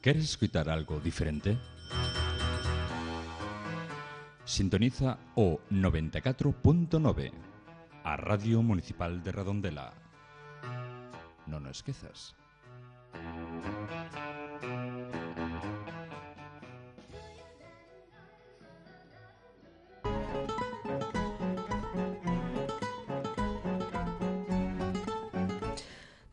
¿Queres escuchar algo diferente? Sintoniza o 94.9, a Radio Municipal de Redondela. Non o esquezas.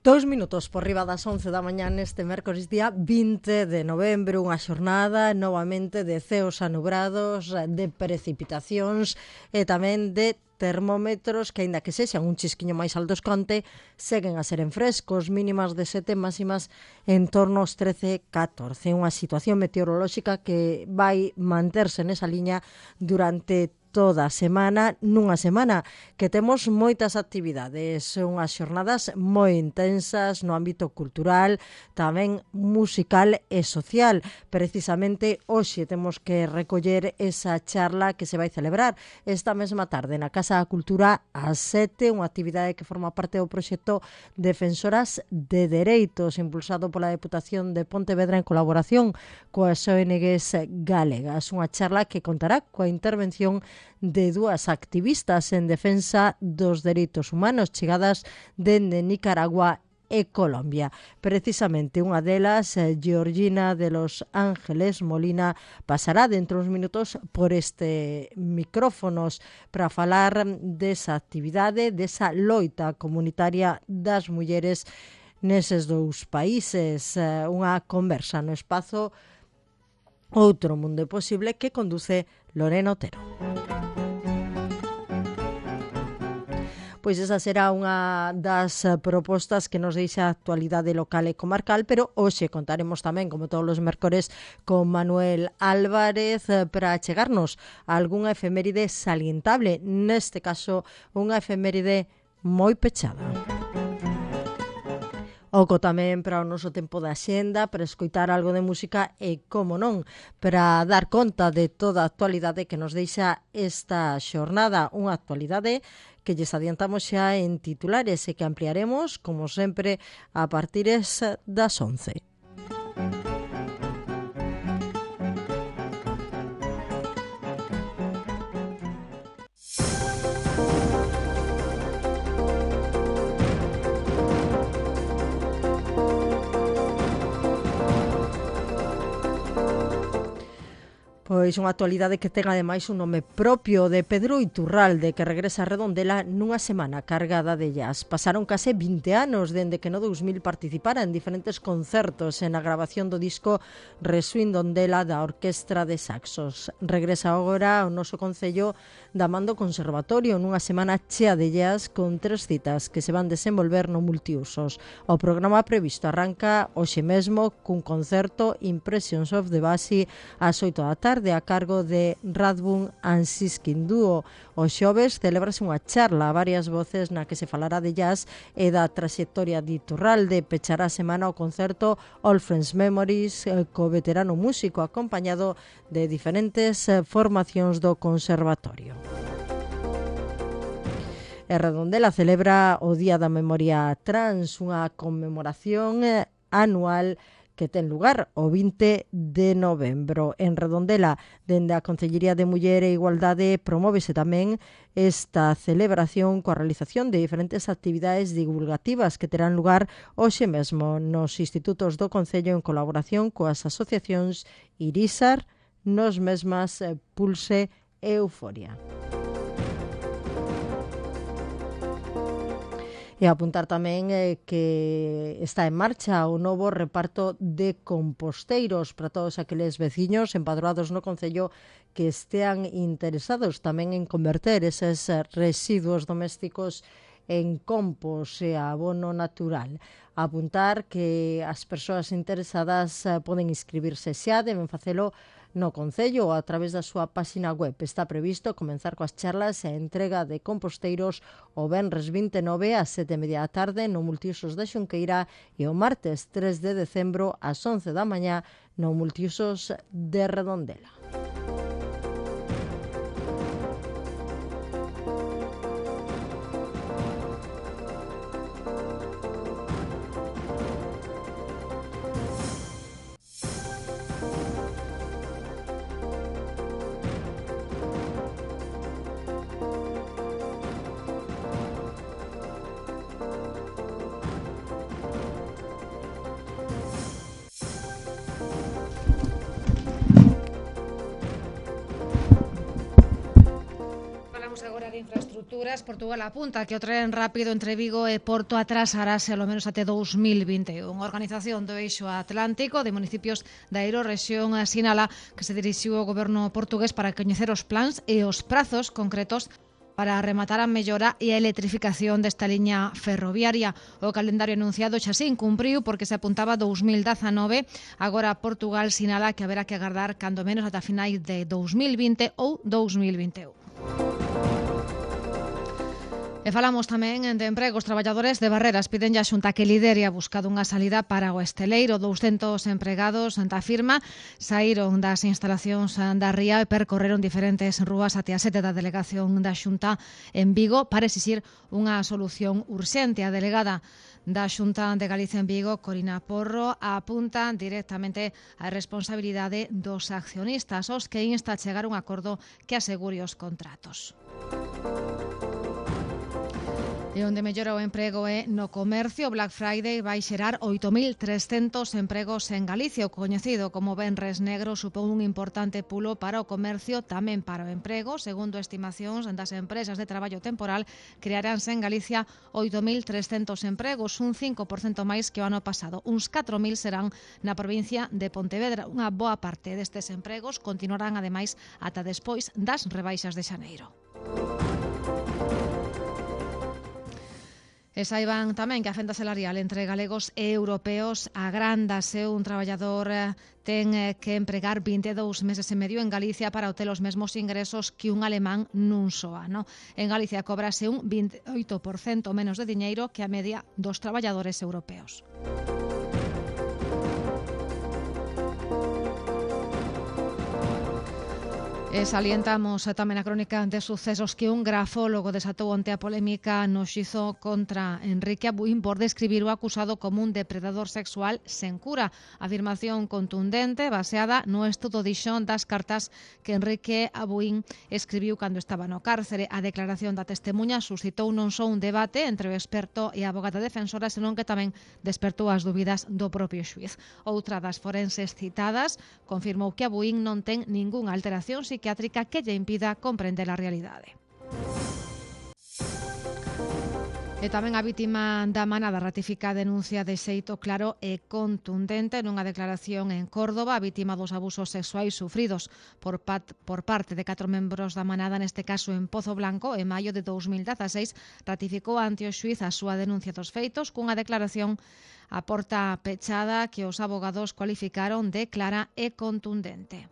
Dous minutos por riba das 11 da mañá neste mércores día 20 de novembro, unha xornada novamente de ceos anubrados, de precipitacións e tamén de termómetros que, aínda que sexan un chisquiño máis altos conte, seguen a seren frescos, mínimas de 7, máximas en torno aos 13-14. Unha situación meteorolóxica que vai manterse nesa liña durante toda a semana, nunha semana que temos moitas actividades, unhas xornadas moi intensas no ámbito cultural, tamén musical e social. Precisamente hoxe temos que recoller esa charla que se vai celebrar esta mesma tarde na Casa da Cultura ás 7, unha actividade que forma parte do proxecto Defensoras de Dereitos, impulsado pola Deputación de Pontevedra en colaboración coas ONGs galegas. Unha charla que contará coa intervención de dúas activistas en defensa dos dereitos humanos chegadas dende Nicaragua e Colombia. Precisamente unha delas, Georgina de los Ángeles Molina, pasará dentro uns minutos por este micrófonos para falar desa actividade, desa loita comunitaria das mulleres neses dous países. Unha conversa no espazo Outro Mundo Posible que conduce Lorena Otero. Pois esa será unha das propostas que nos deixa a actualidade local e comarcal, pero hoxe contaremos tamén, como todos os mércores, con Manuel Álvarez para chegarnos a algunha efeméride salientable, neste caso unha efeméride moi pechada. Oco tamén para o noso tempo de axenda, para escoitar algo de música e, como non, para dar conta de toda a actualidade que nos deixa esta xornada. Unha actualidade que lles adiantamos xa en titulares e que ampliaremos, como sempre, a partir das 11. Pois unha actualidade que ten ademais un nome propio, de Pedro Iturralde, que regresa a Redondela nunha semana cargada de jazz. Pasaron case 20 anos dende que no 2000 participara en diferentes concertos en a grabación do disco Reswindondela da Orquestra de Saxos. Regresa agora ao noso concello da Mando Conservatorio nunha semana chea de jazz con 3 citas que se van desenvolver no multiusos. O programa previsto arranca hoxe mesmo cun concerto Impressions of the Basi ás 8 da tarde a cargo de Radbun and Siskin Duo. O xoves celebrase unha charla a varias voces na que se falará de jazz e da traxectoria de Iturralde. Pechará a semana o concerto All Friends Memories co veterano músico acompañado de diferentes formacións do conservatorio. E Redondela celebra o Día da Memoria Trans, unha conmemoración anual que ten lugar o 20 de novembro. En Redondela, dende a Concellería de Muller e Igualdade, promóvese tamén esta celebración coa realización de diferentes actividades divulgativas que terán lugar hoxe mesmo nos institutos do Concello en colaboración coas asociacións Irisar, Nos Mesmas, Pulse e Euforia. E apuntar tamén que está en marcha o novo reparto de composteiros para todos aqueles veciños empadroados no Concello que estean interesados tamén en converter eses residuos domésticos en compost e abono natural. Apuntar que as persoas interesadas poden inscribirse xa, deben facelo no Concello ou a través da súa páxina web. Está previsto comenzar coas charlas e a entrega de composteiros o venres 29 ás 7:30 da tarde no multiusos da Xunqueira e o martes 3 de decembro ás 11 da mañá no multiusos de Redondela. agora de infraestructuras, Portugal apunta que o tren rápido entre Vigo e Porto atrasarase ao menos até 2021. A Organización do Eixo Atlántico de Municipios da Eurorexión sinala que se dirixiu ao goberno portugués para coñecer os plans e os prazos concretos para rematar a mellora e a electrificación desta liña ferroviaria. O calendario anunciado xa se incumpriu porque se apuntaba 2019. Agora Portugal sinala que haberá que agardar cando menos ata finais de 2020 ou 2021. E falamos tamén de emprego. Os traballadores de Barreras piden a Xunta que lidere a busca dunha salida para o esteleiro. 200 empregados da firma saíron das instalacións da ría e percorreron diferentes rúas até a sede da delegación da Xunta en Vigo para exixir unha solución urxente. A delegada da Xunta de Galicia en Vigo, Corina Porro, apunta directamente a responsabilidade dos accionistas, os que insta a chegar a un acordo que asegure os contratos. E onde mellora o emprego é no comercio. O Black Friday vai xerar 8.300 empregos en Galicia. O coñecido como Venres Negro supón un importante pulo para o comercio, tamén para o emprego. Segundo estimacións das empresas de traballo temporal, crearánse en Galicia 8.300 empregos, un 5% máis que o ano pasado. Uns 4.000 serán na provincia de Pontevedra. Unha boa parte destes empregos continuarán ademais ata despois das rebaixas de xaneiro. E saiban tamén que a fenda salarial entre galegos e europeos agrándase. Un traballador ten que empregar 22 meses e medio en Galicia para obter os mesmos ingresos que un alemán nun só ano. En Galicia cobrase un 28% menos de diñeiro que a media dos traballadores europeos. E salientamos tamén a crónica de sucesos que un grafólogo desatou onte a polémica no xuízo contra Enrique Abuín por describir o acusado como un depredador sexual sen cura. Afirmación contundente baseada no estudo dixón das cartas que Enrique Abuín escribiu cando estaba no cárcere. A declaración da testemuña suscitou non só un debate entre o experto e a avogada defensora, senón que tamén despertou as dúbidas do propio xuíz. Outra das forenses citadas confirmou que Abuín non ten ningunha alteración psiquiátrica que lle impida comprender a realidade. E tamén a vítima da manada ratifica a denuncia de xeito claro e contundente nunha declaración en Córdoba. A vítima dos abusos sexuais sufridos por parte de 4 membros da manada, neste caso en Pozo Blanco, en maio de 2016, ratificou ante o xuíz a súa denuncia dos feitos cunha declaración a porta pechada que os abogados cualificaron de clara e contundente.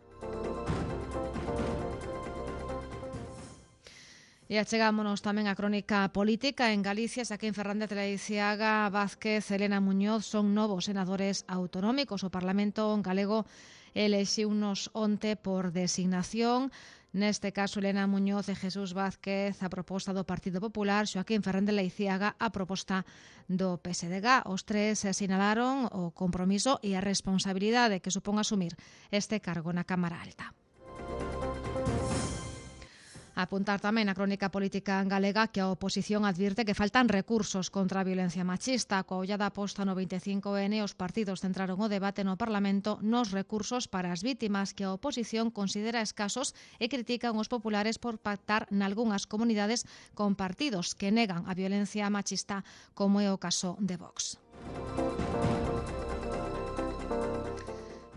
E achegámonos tamén a crónica política. En Galicia, Xaquín Fernández Leiziaga, Vázquez, Elena Muñoz son novos senadores autonómicos. O Parlamento galego elexiunos onte por designación. Neste caso, Elena Muñoz e Jesús Vázquez a proposta do Partido Popular, Xaquín Fernández Leiziaga a proposta do PSDG. Os tres sinalaron o compromiso e a responsabilidade que supón asumir este cargo na Cámara Alta. Apuntar tamén a crónica política galega que a oposición advirte que faltan recursos contra a violencia machista. Coa ollada posta no 25N, os partidos centraron o debate no Parlamento nos recursos para as vítimas que a oposición considera escasos e critican os populares por pactar nalgunhas comunidades con partidos que negan a violencia machista, como é o caso de Vox.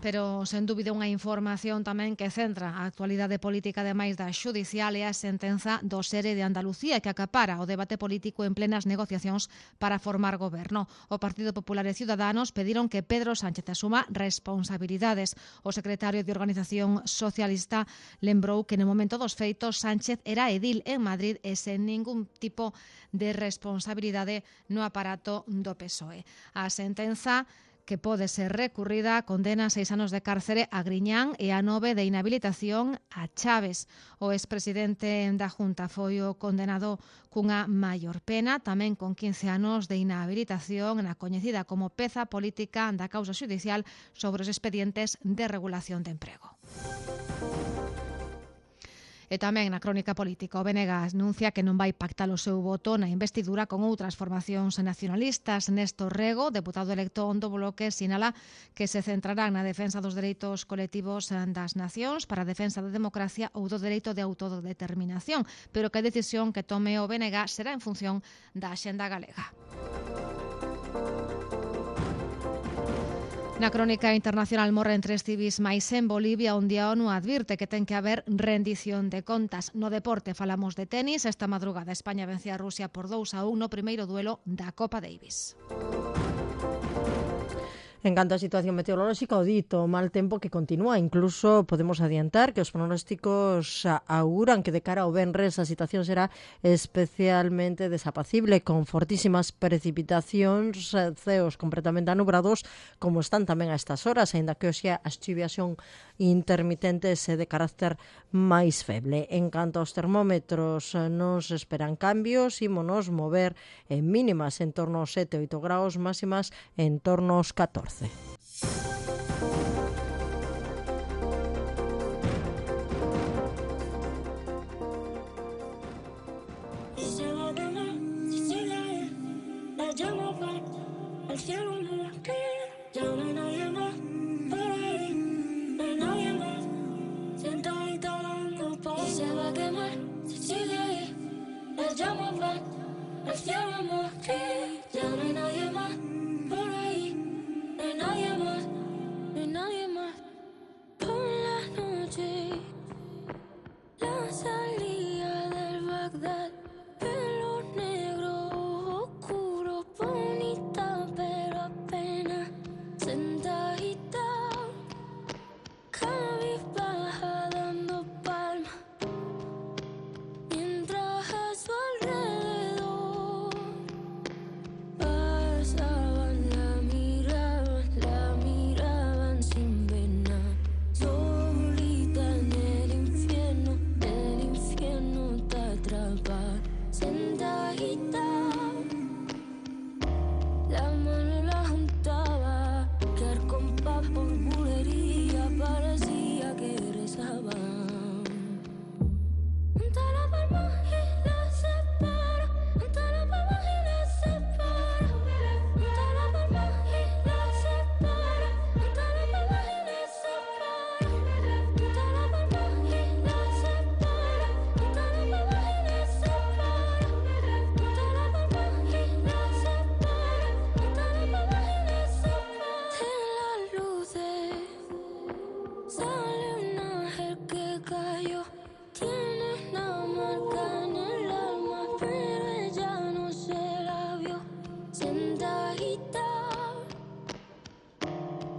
Pero, sen dúbida, unha información tamén que centra a actualidade política ademais da xudicial é a sentenza do SERE de Andalucía que acapara o debate político en plenas negociacións para formar goberno. O Partido Popular e Ciudadanos pediron que Pedro Sánchez asuma responsabilidades. O secretario de Organización Socialista lembrou que no momento dos feitos Sánchez era edil en Madrid e sen ningún tipo de responsabilidade no aparato do PSOE. A sentenza, que pode ser recurrida, condena 6 anos de cárcere a Griñán e a 9 de inhabilitación a Chaves. O expresidente da Junta foi o condenado cunha maior pena, tamén con 15 anos de inhabilitación na coñecida como peza política da causa xudicial sobre os expedientes de regulación de emprego. E tamén na crónica política, o BNG anuncia que non vai pactar o seu voto na investidura con outras formacións nacionalistas. Néstor Rego, deputado electo do Bloque, sinala que se centrarán na defensa dos dereitos colectivos das nacións para a defensa da democracia ou do dereito de autodeterminación, pero que a decisión que tome o BNG será en función da axenda galega. Na crónica internacional morren 3 civis máis en Bolivia, onde a ONU advirte que ten que haber rendición de contas. No deporte falamos de tenis. Esta madrugada España vence a Rusia por 2-1 no primeiro duelo da Copa Davis. En canto á situación meteorolóxica, o dito mal tempo que continúa. Incluso podemos adiantar que os pronósticos auguran que de cara ao venres a situación será especialmente desapacible, con fortísimas precipitacións, ceos completamente anubrados, como están tamén a estas horas, aínda que hoxe as chuvias son intermitentes e de carácter máis feble. En canto aos termómetros, non se esperan cambios, ímonos mover en mínimas en torno aos 7-8 graus, máximas en torno aos 14.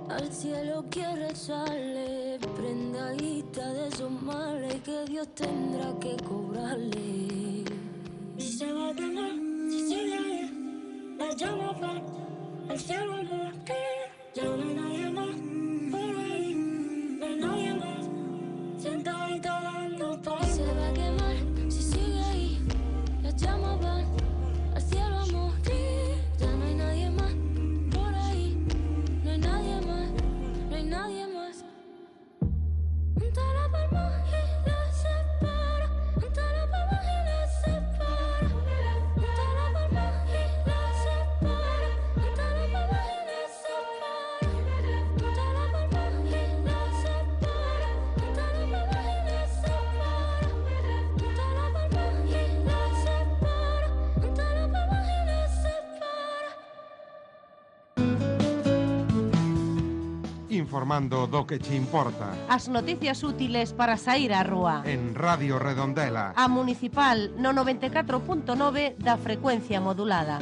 Al cielo quiere echarle prendadita de esos males que Dios tendrá que cobrarle. Y se va a quemar, si sigue ahí, las llamas van, el cielo no cae, ya no hay nadie más por ahí, no hay nadie más, sentadita dando paz. Y se va a quemar, si sigue ahí, las llamas van, al cielo a morir, ya no hay nadie más por ahí, no hay nadie más, no hay nadie más. Junta la palma y la separa, junta la palma y la separa, junta la palma y la separa, junta la palma y la separa, junta la palma y la separa, junta la palma y la separa, junta la palma y la separa, junta la palma y la separa. Informando do que che importa. As noticias útiles para saír á rúa. En Radio Redondela. A Municipal no 94.9 da frecuencia modulada.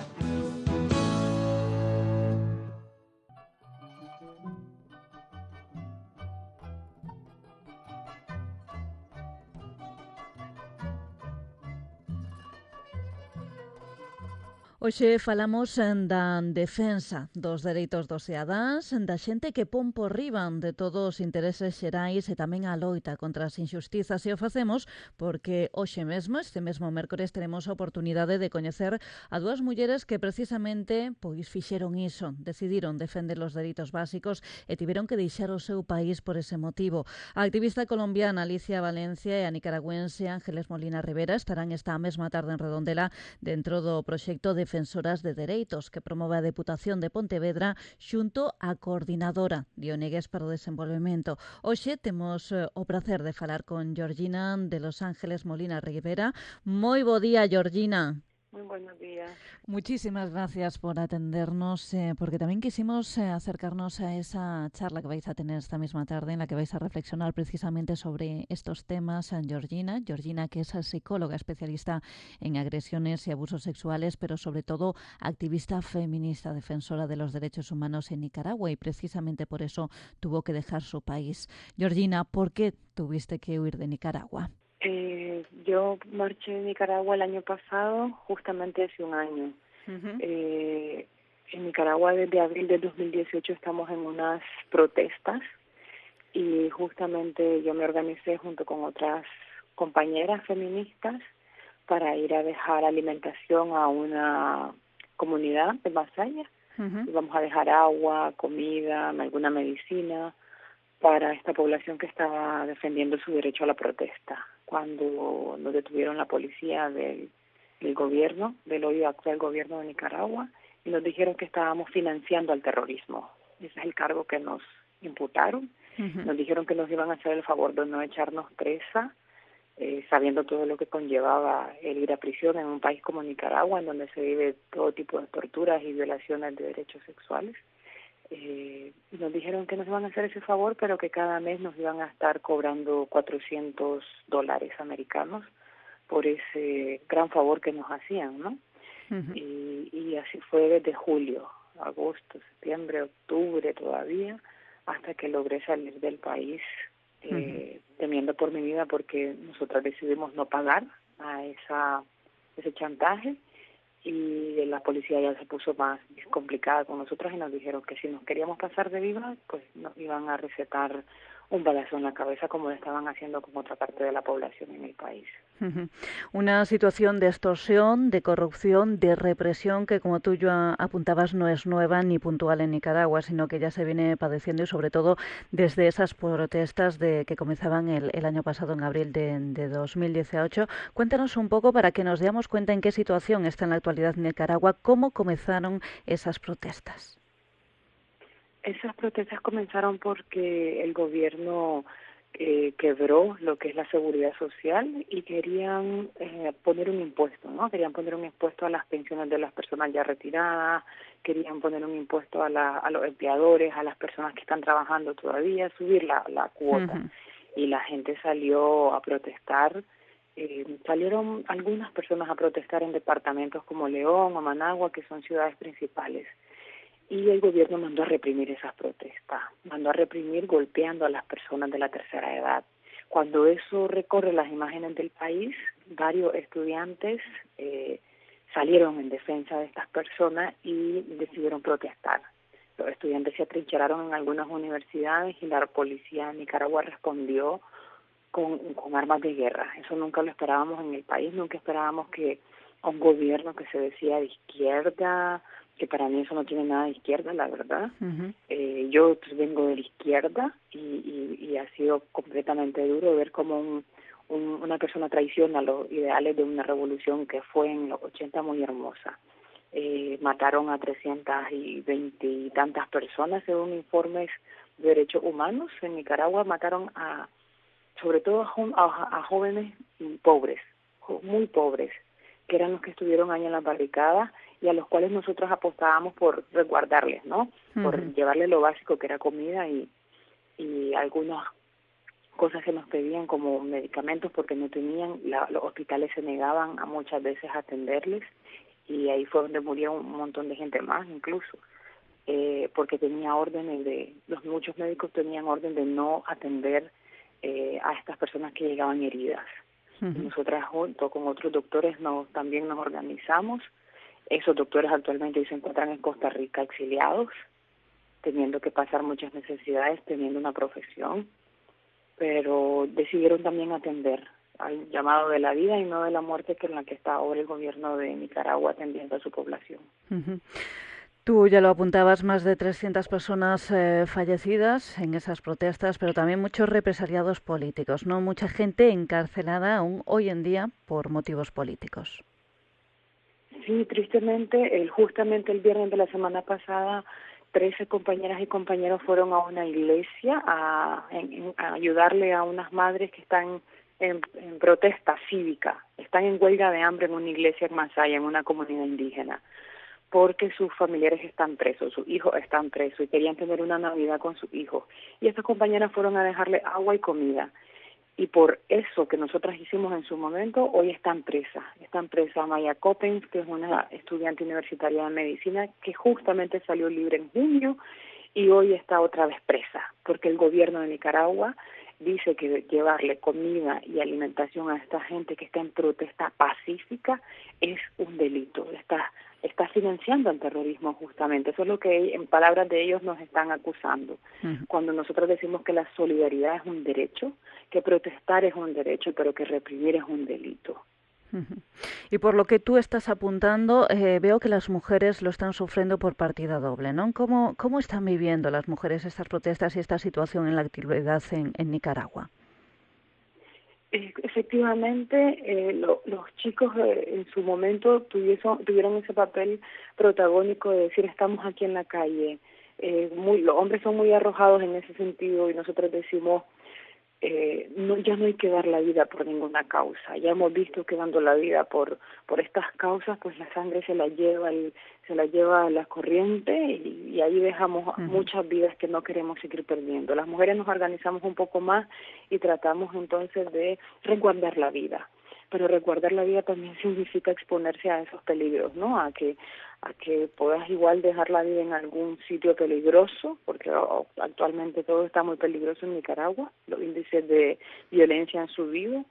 Hoxe falamos da defensa dos dereitos dos cidadáns, da xente que pon por riba de todos os intereses xerais e tamén a loita contra as injustizas, e o facemos porque hoxe mesmo, este mesmo mércores, teremos a oportunidade de coñecer a dúas mulleres que precisamente pois fixeron iso, decidiron defender os dereitos básicos e tiveron que deixar o seu país por ese motivo. A activista colombiana Alicia Valencia e a nicaragüense Ángeles Molina Rivera estarán esta mesma tarde en Redondela dentro do proxecto Defensoras de Dereitos que promove a Deputación de Pontevedra xunto á Coordinadora de ONGs para o Desenvolvemento. Hoxe temos o prazer de falar con Georgina de Los Ángeles Molina Rivera. Moi bo día, Georgina. Muy buenos días. Muchísimas gracias por atendernos, porque también quisimos acercarnos a esa charla que vais a tener esta misma tarde, en la que vais a reflexionar precisamente sobre estos temas. Georgina, que es psicóloga especialista en agresiones y abusos sexuales, pero sobre todo activista feminista, defensora de los derechos humanos en Nicaragua, y precisamente por eso tuvo que dejar su país. Georgina, ¿por qué tuviste que huir de Nicaragua? Yo marché de Nicaragua el año pasado, justamente hace un año. En Nicaragua desde abril del 2018 estamos en unas protestas y justamente yo me organicé junto con otras compañeras feministas para ir a dejar alimentación a una comunidad de Masaya. Vamos a dejar agua, comida, alguna medicina para esta población que estaba defendiendo su derecho a la protesta. Cuando nos detuvieron la policía del gobierno, del hoy actual gobierno de Nicaragua, y nos dijeron que estábamos financiando al terrorismo. Ese es el cargo que nos imputaron. Nos dijeron que nos iban a hacer el favor de no echarnos presa, sabiendo todo lo que conllevaba el ir a prisión en un país como Nicaragua, en donde se vive todo tipo de torturas y violaciones de derechos sexuales. Nos dijeron que nos iban a hacer ese favor, pero que cada mes nos iban a estar cobrando $400 americanos por ese gran favor que nos hacían, ¿no? Y así fue desde julio, agosto, septiembre, octubre todavía, hasta que logré salir del país temiendo por mi vida, porque nosotras decidimos no pagar a ese chantaje. Y la policía ya se puso más complicada con nosotros y nos dijeron que si nos queríamos pasar de viva, pues nos iban a recetar un balazo en la cabeza, como lo estaban haciendo con otra parte de la población en el país. Una situación de extorsión, de corrupción, de represión que, como tú ya apuntabas, no es nueva ni puntual en Nicaragua, sino que ya se viene padeciendo, y sobre todo desde esas protestas que comenzaban el año pasado, en abril de 2018. Cuéntanos un poco para que nos demos cuenta en qué situación está en la actualidad Nicaragua, cómo comenzaron esas protestas. Esas protestas comenzaron porque el gobierno quebró lo que es la seguridad social y querían poner un impuesto, ¿no? Querían poner un impuesto a las pensiones de las personas ya retiradas, querían poner un impuesto a los empleadores, a las personas que están trabajando todavía, subir la cuota. Y la gente salió a protestar. Salieron algunas personas a protestar en departamentos como León o Managua, que son ciudades principales. Y el gobierno mandó a reprimir esas protestas, mandó a reprimir golpeando a las personas de la tercera edad. Cuando eso recorre las imágenes del país, varios estudiantes salieron en defensa de estas personas y decidieron protestar. Los estudiantes se atrincheraron en algunas universidades y la policía de Nicaragua respondió con armas de guerra. Eso nunca lo esperábamos en el país, nunca esperábamos que un gobierno que se decía de izquierda, que para mí eso no tiene nada de izquierda, la verdad. Yo vengo de la izquierda y ha sido completamente duro ver cómo una persona traiciona los ideales de una revolución que fue en los 80 muy hermosa. Mataron a 320 y tantas personas, según informes de derechos humanos. En Nicaragua mataron sobre todo a jóvenes pobres, muy pobres, que eran los que estuvieron años en las barricadas y a los cuales nosotros apostábamos por resguardarles, ¿no? Por llevarles lo básico, que era comida y algunas cosas que nos pedían como medicamentos, porque no tenían, los hospitales se negaban a muchas veces a atenderles, y ahí fue donde murió un montón de gente más incluso, porque tenía órdenes muchos médicos tenían orden de no atender a estas personas que llegaban heridas. Nosotras junto con otros doctores también nos organizamos Esos doctores actualmente se encuentran en Costa Rica exiliados, teniendo que pasar muchas necesidades, teniendo una profesión, pero decidieron también atender al llamado de la vida y no de la muerte, que es en la que está ahora el gobierno de Nicaragua atendiendo a su población. Tú ya lo apuntabas, más de 300 personas fallecidas en esas protestas, pero también muchos represaliados políticos, ¿no? Mucha gente encarcelada aún hoy en día por motivos políticos. Sí, tristemente, justamente el viernes de la semana pasada, 13 compañeras y compañeros fueron a una iglesia a ayudarle a unas madres que están en protesta cívica, están en huelga de hambre en una iglesia en Masaya, en una comunidad indígena, porque sus familiares están presos, sus hijos están presos y querían tener una Navidad con sus hijos. Y estas compañeras fueron a dejarle agua y comida. Y por eso que nosotras hicimos en su momento, hoy están presas. Están presa Maya Coppens, que es una estudiante universitaria de medicina, que justamente salió libre en junio y hoy está otra vez presa, porque el gobierno de Nicaragua dice que llevarle comida y alimentación a esta gente que está en protesta pacífica es un delito. Está financiando el terrorismo justamente. Eso es lo que en palabras de ellos nos están acusando. Cuando nosotros decimos que la solidaridad es un derecho, que protestar es un derecho, pero que reprimir es un delito. Y por lo que tú estás apuntando, veo que las mujeres lo están sufriendo por partida doble, ¿no? ¿Cómo están viviendo las mujeres estas protestas y esta situación en la actividad en Nicaragua? Efectivamente, los chicos en su momento tuvieron ese papel protagónico de decir estamos aquí en la calle. Los hombres son muy arrojados en ese sentido y nosotros decimos ya no hay que dar la vida por ninguna causa. Ya hemos visto que dando la vida por estas causas, pues la sangre se la lleva a la corriente y ahí dejamos muchas vidas que no queremos seguir perdiendo. Las mujeres nos organizamos un poco más y tratamos entonces de resguardar la vida. Pero resguardar la vida también significa exponerse a esos peligros, ¿no? A que puedas igual dejar la vida en algún sitio peligroso, porque actualmente todo está muy peligroso en Nicaragua, los índices de violencia han subido,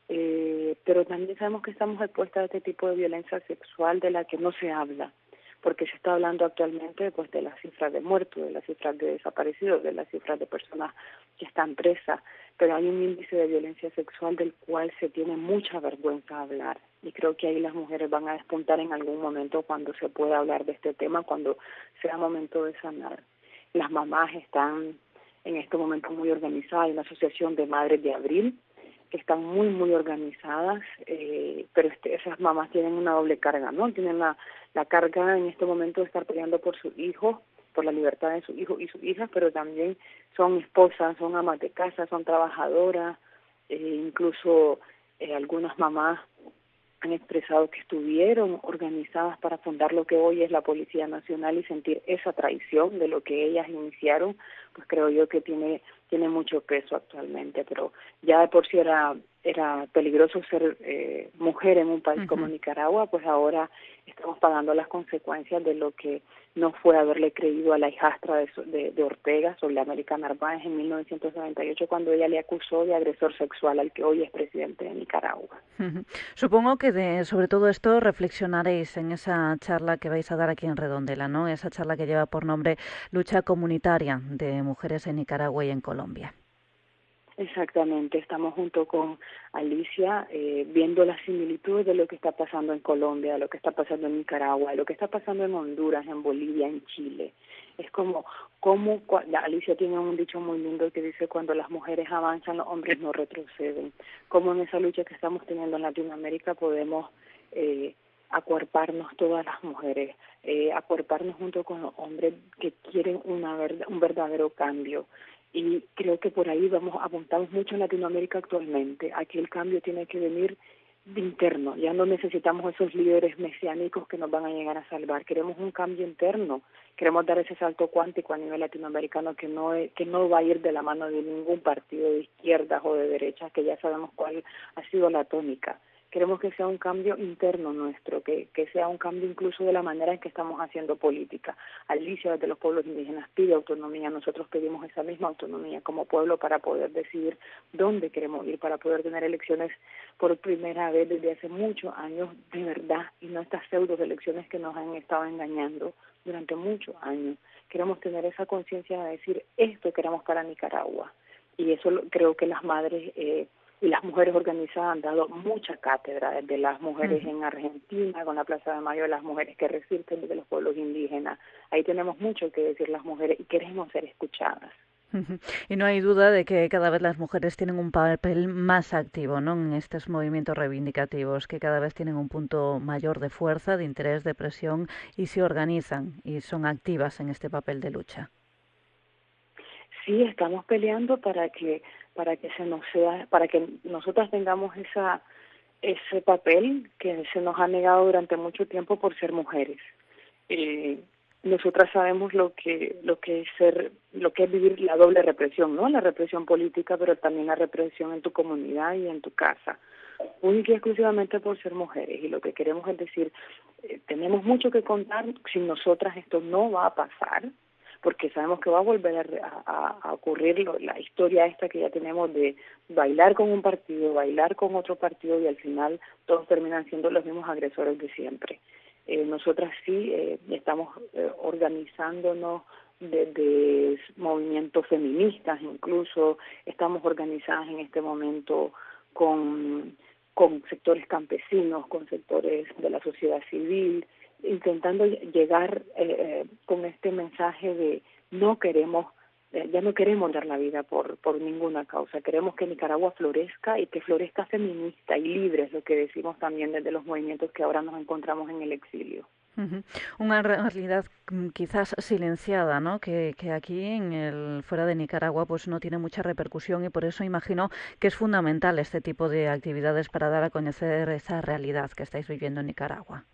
pero también sabemos que estamos expuestas a este tipo de violencia sexual de la que no se habla, porque se está hablando actualmente pues de las cifras de muertos, de las cifras de desaparecidos, de las cifras de personas que están presas, pero hay un índice de violencia sexual del cual se tiene mucha vergüenza hablar, y creo que ahí las mujeres van a despuntar en algún momento cuando se pueda hablar de este tema, cuando sea momento de sanar. Las mamás están en este momento muy organizadas, hay una asociación de madres de abril que están muy, muy organizadas, pero esas mamás tienen una doble carga, ¿no? Tienen la carga en este momento de estar peleando por sus hijos, por la libertad de sus hijos y sus hijas, pero también son esposas, son amas de casa, son trabajadoras, incluso algunas mamás han expresado que estuvieron organizadas para fundar lo que hoy es la Policía Nacional y sentir esa traición de lo que ellas iniciaron, pues creo yo que tiene mucho peso actualmente, pero ya de por sí era peligroso ser mujer en un país como Nicaragua, pues ahora estamos pagando las consecuencias de lo que no fue haberle creído a la hijastra de Ortega, América Narváez, en 1998, cuando ella le acusó de agresor sexual al que hoy es presidente de Nicaragua. Supongo que sobre todo esto reflexionaréis en esa charla que vais a dar aquí en Redondela, ¿no? Esa charla que lleva por nombre Lucha Comunitaria de Mujeres en Nicaragua y en Colombia. Exactamente, estamos junto con Alicia viendo las similitudes de lo que está pasando en Colombia, de lo que está pasando en Nicaragua, de lo que está pasando en Honduras, en Bolivia, en Chile. Es como Alicia tiene un dicho muy lindo que dice: cuando las mujeres avanzan, los hombres no retroceden. Como en esa lucha que estamos teniendo en Latinoamérica podemos acuerparnos todas las mujeres, acuerparnos junto con los hombres que quieren un verdadero cambio. Y creo que por ahí apuntamos mucho en Latinoamérica actualmente. Aquí el cambio tiene que venir de interno. Ya no necesitamos esos líderes mesiánicos que nos van a llegar a salvar. Queremos un cambio interno. Queremos dar ese salto cuántico a nivel latinoamericano que no va a ir de la mano de ningún partido de izquierdas o de derechas, que ya sabemos cuál ha sido la tónica. queremos que sea un cambio interno nuestro, que sea un cambio incluso de la manera en que estamos haciendo política. Alicia, desde los pueblos indígenas, pide autonomía, nosotros pedimos esa misma autonomía como pueblo para poder decidir dónde queremos ir, para poder tener elecciones por primera vez desde hace muchos años, de verdad, y no estas pseudo elecciones que nos han estado engañando durante muchos años. Queremos tener esa conciencia de decir, esto queremos para Nicaragua, y eso creo que las madres y las mujeres organizadas han dado mucha cátedra, desde las mujeres en Argentina, con la Plaza de Mayo, de las mujeres que resisten desde los pueblos indígenas. Ahí tenemos mucho que decir las mujeres y queremos ser escuchadas. Y no hay duda de que cada vez las mujeres tienen un papel más activo, ¿no?, en estos movimientos reivindicativos, que cada vez tienen un punto mayor de fuerza, de interés, de presión, y se organizan y son activas en este papel de lucha. Sí, estamos peleando para que para que nosotras tengamos ese papel que se nos ha negado durante mucho tiempo por ser mujeres. Nosotras sabemos lo que es vivir la doble represión, ¿no? La represión política, pero también la represión en tu comunidad y en tu casa, única y exclusivamente por ser mujeres. Y lo que queremos es decir, tenemos mucho que contar. Sin nosotras esto no va a pasar, porque sabemos que va a volver a ocurrir la historia esta que ya tenemos de bailar con un partido, bailar con otro partido, y al final todos terminan siendo los mismos agresores de siempre. Nosotras sí estamos organizándonos desde movimientos feministas, incluso estamos organizadas en este momento con sectores campesinos, con sectores de la sociedad civil, intentando llegar con este mensaje de ya no queremos dar la vida por ninguna causa. Queremos que Nicaragua florezca, y que florezca feminista y libre, es lo que decimos también desde los movimientos que ahora nos encontramos en el exilio. Una realidad quizás silenciada, ¿no?, que aquí fuera de Nicaragua pues no tiene mucha repercusión, y por eso imagino que es fundamental este tipo de actividades para dar a conocer esa realidad que estáis viviendo en Nicaragua.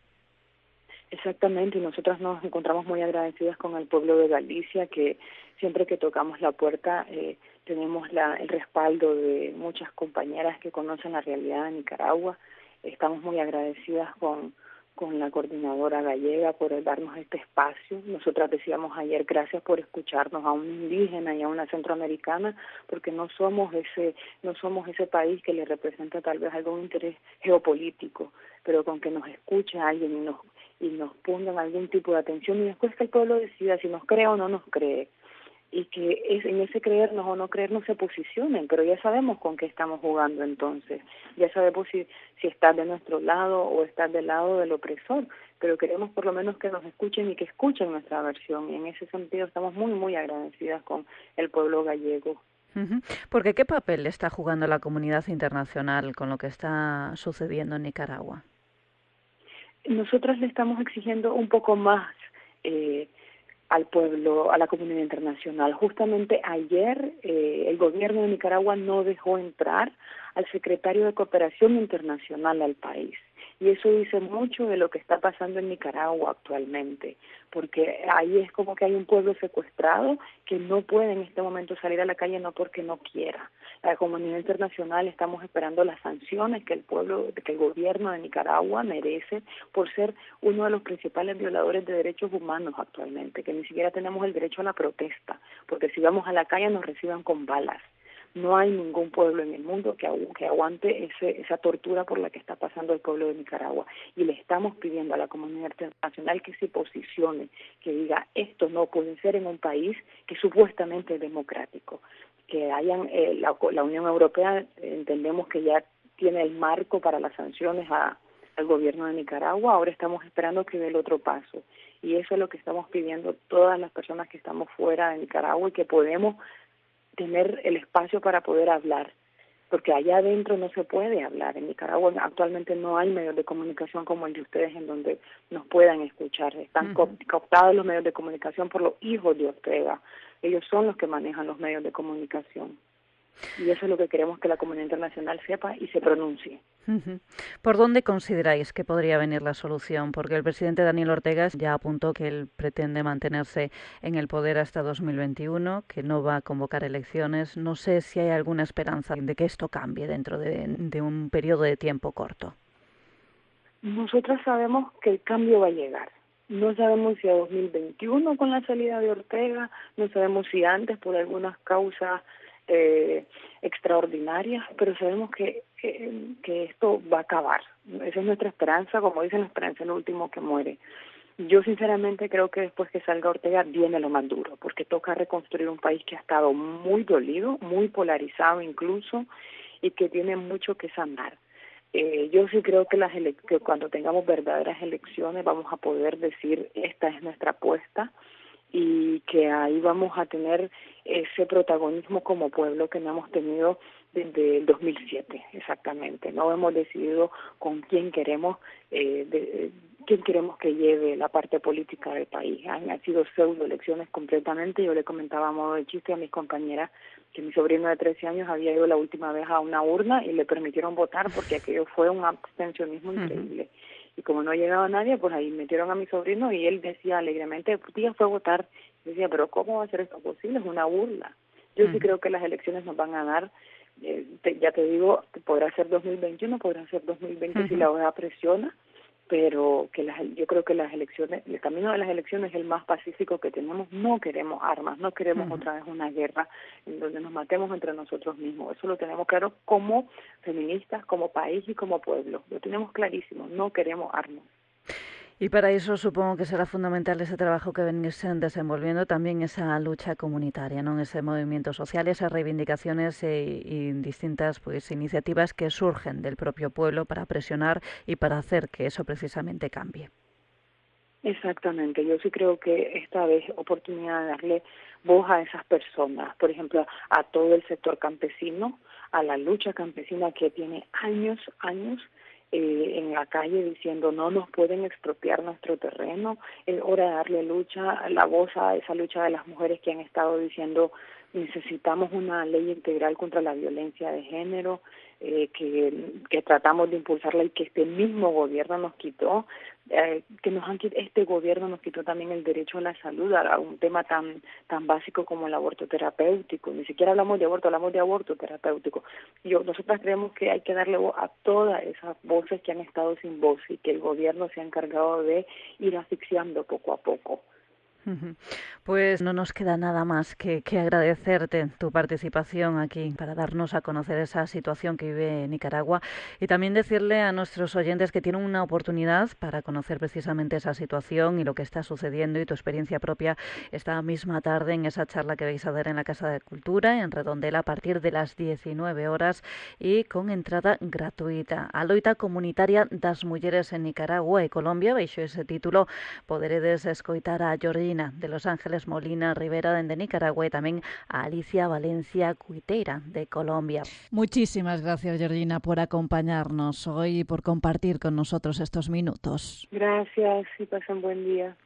Exactamente, y nosotras nos encontramos muy agradecidas con el pueblo de Galicia, que siempre que tocamos la puerta tenemos el respaldo de muchas compañeras que conocen la realidad de Nicaragua. Estamos muy agradecidas con la coordinadora gallega por darnos este espacio. Nosotras decíamos ayer, gracias por escucharnos a un indígena y a una centroamericana, porque no somos ese país que le representa tal vez algún interés geopolítico, pero con que nos escuche alguien y nos pongan algún tipo de atención, y después que el pueblo decida si nos cree o no nos cree, y que en ese creernos o no creernos se posicionen, pero ya sabemos con qué estamos jugando entonces, ya sabemos si estás de nuestro lado o estás del lado del opresor, pero queremos por lo menos que nos escuchen y que escuchen nuestra versión, y en ese sentido estamos muy, muy agradecidas con el pueblo gallego. Porque ¿qué papel está jugando la comunidad internacional con lo que está sucediendo en Nicaragua? Nosotras le estamos exigiendo un poco más al pueblo, a la comunidad internacional. Justamente ayer el gobierno de Nicaragua no dejó entrar al secretario de Cooperación Internacional al país. Y eso dice mucho de lo que está pasando en Nicaragua actualmente, porque ahí es como que hay un pueblo secuestrado que no puede en este momento salir a la calle, no porque no quiera. La comunidad internacional estamos esperando las sanciones que el gobierno de Nicaragua merece por ser uno de los principales violadores de derechos humanos actualmente, que ni siquiera tenemos el derecho a la protesta, porque si vamos a la calle nos reciban con balas. No hay ningún pueblo en el mundo que aguante esa tortura por la que está pasando el pueblo de Nicaragua. Y le estamos pidiendo a la comunidad internacional que se posicione, que diga, esto no puede ser en un país que supuestamente es democrático. Que hayan la Unión Europea, entendemos que ya tiene el marco para las sanciones al gobierno de Nicaragua, ahora estamos esperando que dé el otro paso. Y eso es lo que estamos pidiendo todas las personas que estamos fuera de Nicaragua y que podemos tener el espacio para poder hablar, porque allá adentro no se puede hablar. En Nicaragua actualmente no hay medios de comunicación como el de ustedes en donde nos puedan escuchar. Están cooptados los medios de comunicación por los hijos de Ortega. Ellos son los que manejan los medios de comunicación. Y eso es lo que queremos que la comunidad internacional sepa y se pronuncie. ¿Por dónde consideráis que podría venir la solución? Porque el presidente Daniel Ortega ya apuntó que él pretende mantenerse en el poder hasta 2021, que no va a convocar elecciones. No sé si hay alguna esperanza de que esto cambie dentro de un periodo de tiempo corto. nosotras sabemos que el cambio va a llegar. No sabemos si a 2021 con la salida de Ortega, no sabemos si antes por algunas causas extraordinarias, pero sabemos que esto va a acabar. Esa es nuestra esperanza, como dicen, la esperanza es lo último que muere. Yo sinceramente creo que después que salga Ortega viene lo más duro, porque toca reconstruir un país que ha estado muy dolido, muy polarizado incluso, y que tiene mucho que sanar. Yo sí creo que que cuando tengamos verdaderas elecciones vamos a poder decir esta es nuestra apuesta, y que ahí vamos a tener ese protagonismo como pueblo que no hemos tenido desde el 2007 exactamente. No hemos decidido con quién queremos que lleve la parte política del país. Han sido pseudo elecciones completamente. Yo le comentaba a modo de chiste a mis compañeras que mi sobrino de 13 años había ido la última vez a una urna y le permitieron votar porque aquello fue un abstencionismo increíble. Y como no llegaba nadie, pues ahí metieron a mi sobrino y él decía alegremente, tía, fue a votar. Y decía, pero ¿cómo va a ser esto posible? Es una burla. Yo sí creo que las elecciones nos van a dar, ya te digo, podrá ser 2021, podrá ser 2020 si la OEA presiona, pero que yo creo que las elecciones, el camino de las elecciones es el más pacífico que tenemos. No queremos armas, no queremos otra vez una guerra en donde nos matemos entre nosotros mismos. Eso lo tenemos claro como feministas, como país y como pueblo. Lo tenemos clarísimo, no queremos armas. Y para eso supongo que será fundamental ese trabajo que venís desenvolviendo, también esa lucha comunitaria, ¿no? Ese movimiento social, esas reivindicaciones y distintas iniciativas que surgen del propio pueblo para presionar y para hacer que eso precisamente cambie. Exactamente, yo sí creo que esta vez es oportunidad de darle voz a esas personas, por ejemplo, a todo el sector campesino, a la lucha campesina que tiene años en la calle diciendo no nos pueden expropiar nuestro terreno. Es hora de darle la voz a esa lucha de las mujeres que han estado diciendo necesitamos una ley integral contra la violencia de género, que tratamos de impulsarla y que este mismo gobierno nos quitó, este gobierno nos quitó también el derecho a la salud, a un tema tan básico como el aborto terapéutico. Ni siquiera hablamos de aborto, hablamos de aborto terapéutico. Nosotras creemos que hay que darle voz a todas esas voces que han estado sin voz y que el gobierno se ha encargado de ir asfixiando poco a poco. Pues no nos queda nada más que agradecerte tu participación aquí para darnos a conocer esa situación que vive Nicaragua y también decirle a nuestros oyentes que tienen una oportunidad para conocer precisamente esa situación y lo que está sucediendo y tu experiencia propia esta misma tarde en esa charla que vais a dar en la Casa de Cultura en Redondela a partir de las 19 horas y con entrada gratuita. A loita comunitaria das mulleres en Nicaragua y Colombia, baixo ese título poderedes escoitar a Georgina de Los Ángeles Molina Rivera de Nicaragua y también a Alicia Valencia Cuiteira de Colombia. Muchísimas gracias, Georgina, por acompañarnos hoy y por compartir con nosotros estos minutos. Gracias y pasen buen día.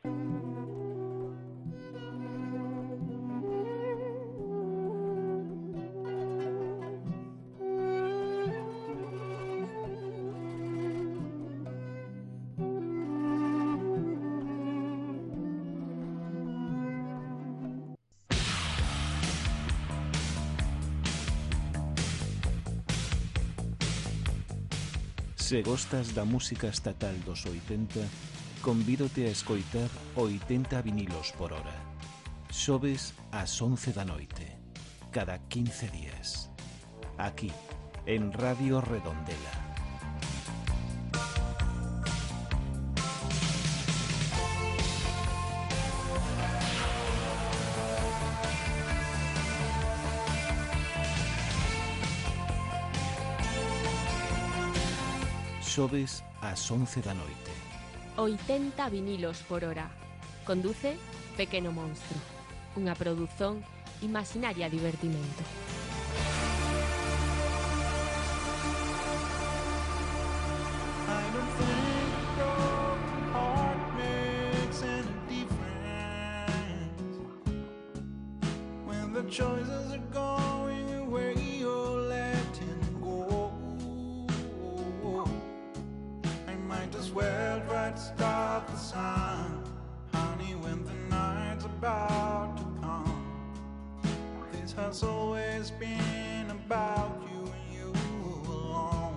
Se gostas da música estatal dos 80, convídote a escoitar 80 vinilos por hora. Xoves ás 11 da noite, cada 15 días. Aquí, en Radio Redondela. Xoves ás 11 da noite. 80 vinilos por hora. Conduce Pequeno Monstro. Unha produción Imaginaria Divertimento. Has always been about you and you alone.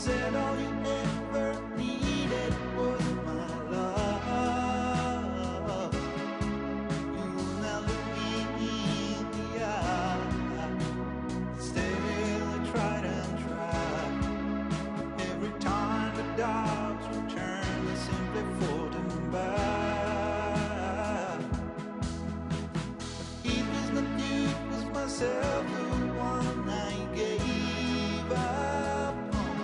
said all you ever needed was my love. You will never look me in the eye. Still I tried and tried. Every time the dogs returned, I simply fought them back. It was not you, it was myself, the one I gave up on.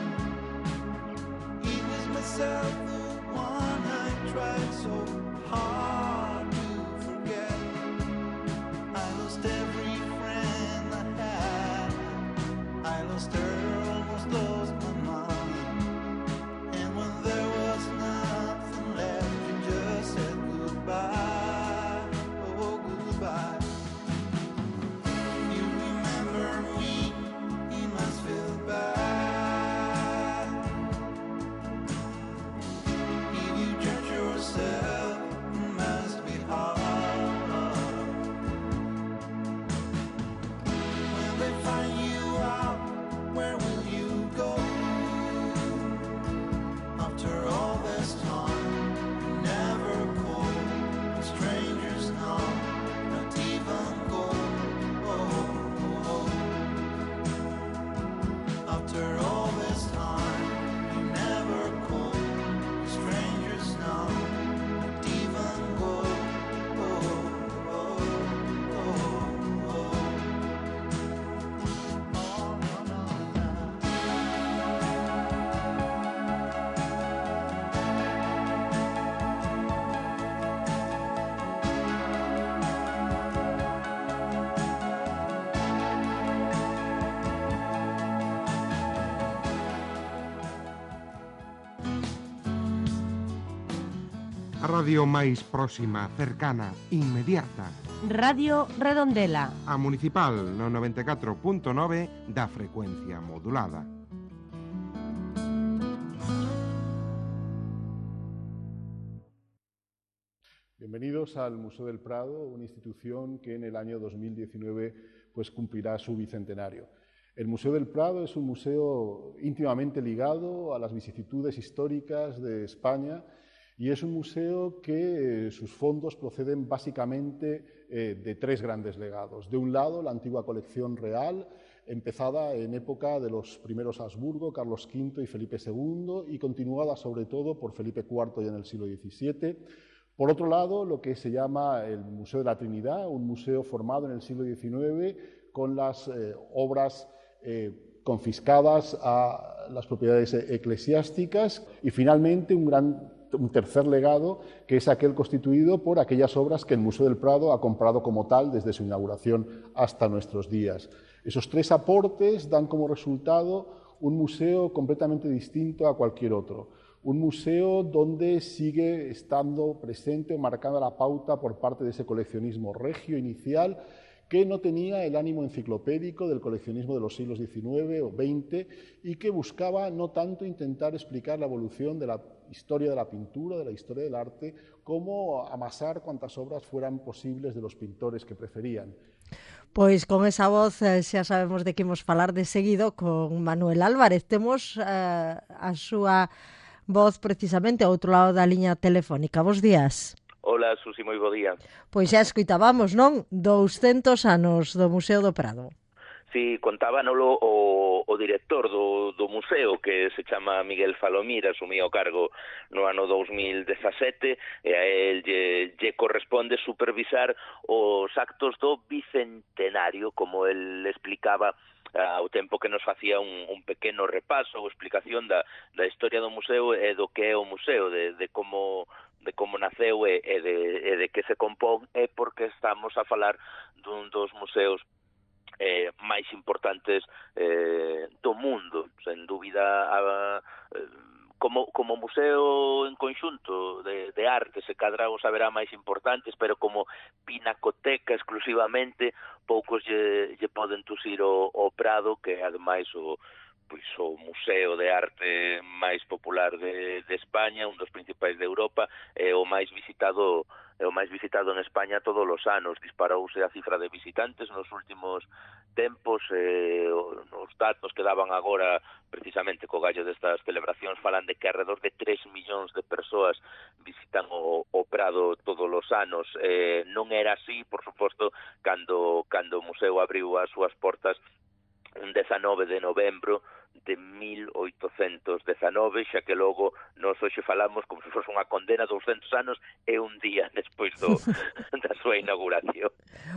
It was myself, the one I tried so hard to forget. I lost every friend I had. I lost her, almost lost my mind. And when there was nothing left, you just said goodbye. Oh, goodbye. You remember me, you must feel bad. If you judge yourself, it must be hard. When they find you out, where will you go? After all this time, you never call. Strangers know, not even go. After all this time, you never call. Strangers know, not even go. A radio máis próxima, cercana, inmediata. Radio Redondela. A Municipal no 94.9 da frecuencia modulada. Bienvenidos al Museo del Prado, una institución que en el año 2019 pues, cumplirá su bicentenario. El Museo del Prado es un museo íntimamente ligado a las vicisitudes históricas de España y es un museo que sus fondos proceden básicamente de tres grandes legados. De un lado, la antigua colección real, empezada en época de los primeros Habsburgo, Carlos V y Felipe II, y continuada sobre todo por Felipe IV ya en el siglo XVII. Por otro lado, lo que se llama el Museo de la Trinidad, un museo formado en el siglo XIX con las obras confiscadas a las propiedades eclesiásticas, y finalmente un tercer legado, que es aquel constituido por aquellas obras que el Museo del Prado ha comprado como tal desde su inauguración hasta nuestros días. Esos tres aportes dan como resultado un museo completamente distinto a cualquier otro. Un museo donde sigue estando presente o marcada la pauta por parte de ese coleccionismo regio inicial, que no tenía el ánimo enciclopédico del coleccionismo de los siglos XIX o XX y que buscaba no tanto intentar explicar la evolución de la historia de la pintura, de la historia del arte, como amasar cuantas obras fueran posibles de los pintores que preferían. Pois con esa voz xa sabemos de que imos falar de seguido con Manuel Álvarez. Temos a súa voz precisamente ao outro lado da liña telefónica. Bos días. Hola, Susi, moi bo día. Pois xa escoitábamos, non? 200 anos do Museo do Prado. Sí, contábanolo o director do museo, que se chama Miguel Falomir, asumía o cargo no ano 2017, e a él lle corresponde supervisar os actos do bicentenario, como él explicaba ao tempo que nos facía un pequeno repaso ou explicación da historia do museo e do que é o museo, de como naceu e de que se compón, e porque estamos a falar dun dos museos máis importantes do mundo, sen dúbida. Como museo en conxunto de arte, se cadra os haberá máis importantes, pero como pinacoteca exclusivamente, poucos lle poden tusir o Prado, que ademais o museo de arte máis popular de España, un dos principais de Europa, e o máis visitado o máis visitado en España todos os anos. Disparouse a cifra de visitantes nos últimos tempos, os datos que daban agora precisamente co gallo destas celebracións falan de que alrededor de 3 millóns de persoas visitan o Prado todos os anos. Non era así, por suposto, cando o museo abriu as súas portas un 19 de novembro de 1819, xa que logo nós hoxe falamos como se fose unha condena 200 anos e un día despois da súa inauguración.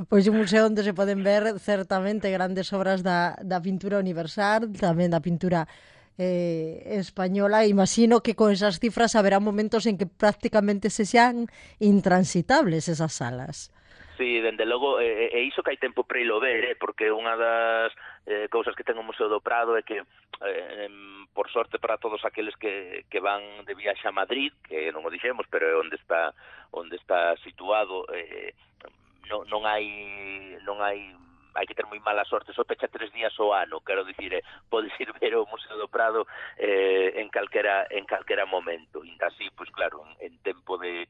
Pois un museo onde se poden ver certamente grandes obras da pintura universal, tamén da pintura española. Imagino que con esas cifras haberá momentos en que prácticamente se sean intransitables esas salas. Sí, dende logo, e iso que hai tempo para ilo ver, porque unha das cousas que ten o Museo do Prado é que, por sorte para todos aqueles que van de viaxe a Madrid, que non o dixemos, pero é onde está situado, non hai que ter moi mala sorte, só pecha 3 días ao ano, quero dicir, podes ir ver o Museo do Prado en calquera momento. Ainda así, pois claro, en tempo de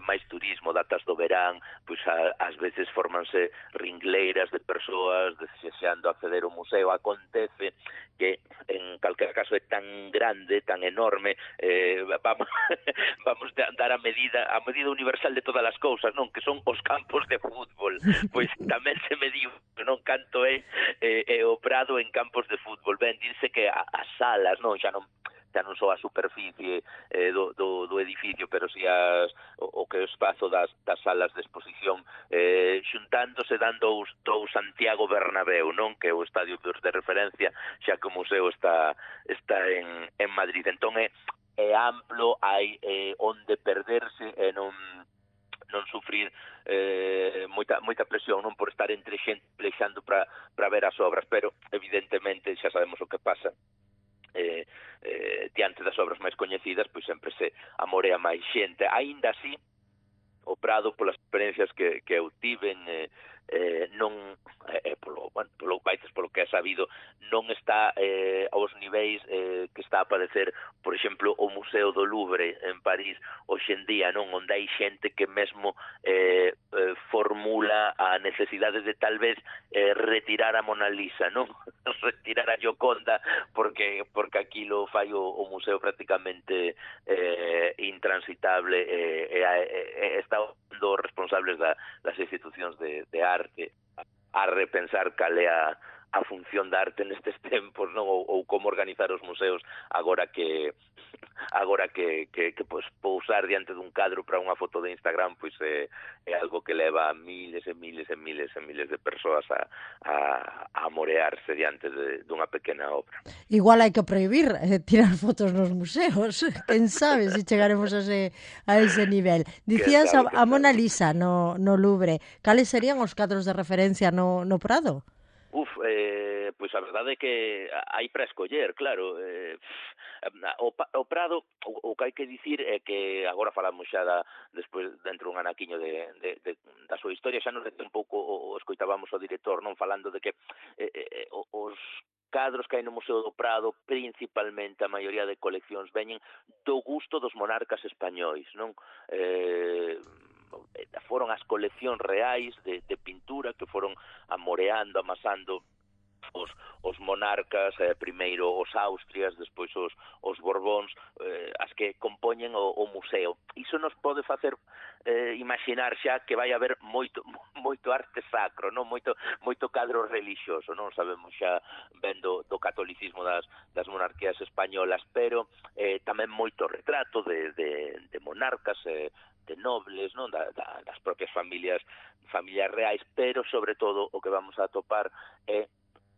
máis turismo, datas do verán, pois ás veces formanse ringleiras de persoas desexando acceder ao museo. Acontece que en calquera caso é tan grande, tan enorme, vamos dar a medida universal de todas as cousas, non? Que son os campos de fútbol. Pois tamén se mediu, non, canto é o Prado en campos de fútbol. Ben, dice que as salas, non, xa non só a superficie do edificio, pero si o que é o espazo das salas de exposición, xuntándose dando dous Santiago Bernabéu, non, que é o estadio de referencia, xa que o museo está en Madrid. Entón é amplo, hai onde perderse e non sufrir moita presión, non, por estar entre xente plexando para ver as obras, pero evidentemente xa sabemos o que pasa diante das obras máis coñecidas, pois sempre se amorea máis xente. Aínda así, o Prado, polas experiencias que eu tiven, non, polo que é sabido, non está aos niveis que está a padecer, por exemplo, o Museo do Louvre en París hoxe en día, non, onde hai xente que mesmo formula a necesidade de tal vez retirar a Mona Lisa, non, retirar a Gioconda, porque aquilo fai o museo prácticamente intransitable, e está os responsables das institucións de arte a repensar cal é a función da arte nestes tempos, non, ou como organizar os museos agora que pois pousar diante dun cadro para unha foto de Instagram pois é algo que leva a miles e miles e miles e miles de persoas a amorearse diante dunha pequena obra. Igual hai que prohibir tirar fotos nos museos, quen sabe se chegaremos a ese nivel. Dicías a Mona Lisa no Louvre, cales serían os cadros de referencia no Prado? Pois a verdade é que hai para escoller, claro. O Prado, o que hai que dicir é que agora falamos xa despois dentro dun anaquiño da súa historia, xa nos dete un pouco o escoitábamos o director, non, falando de que os cadros que hai no Museo do Prado, principalmente a maioría de coleccións veñen do gusto dos monarcas españois, non? Foron as coleccións reais de pintura que foron amoreando, amasando os monarcas, primeiro os Austrias, despois os Borbóns, as que compoñen o museo. Iso nos pode facer imaginar xa que vai haber moito arte sacro, non, moito cadro relixioso, non sabemos xa vendo do catolicismo das monarquías españolas, pero tamén moito retrato de monarcas, de nobles, non, das propias familias reais, pero sobre todo o que vamos a atopar é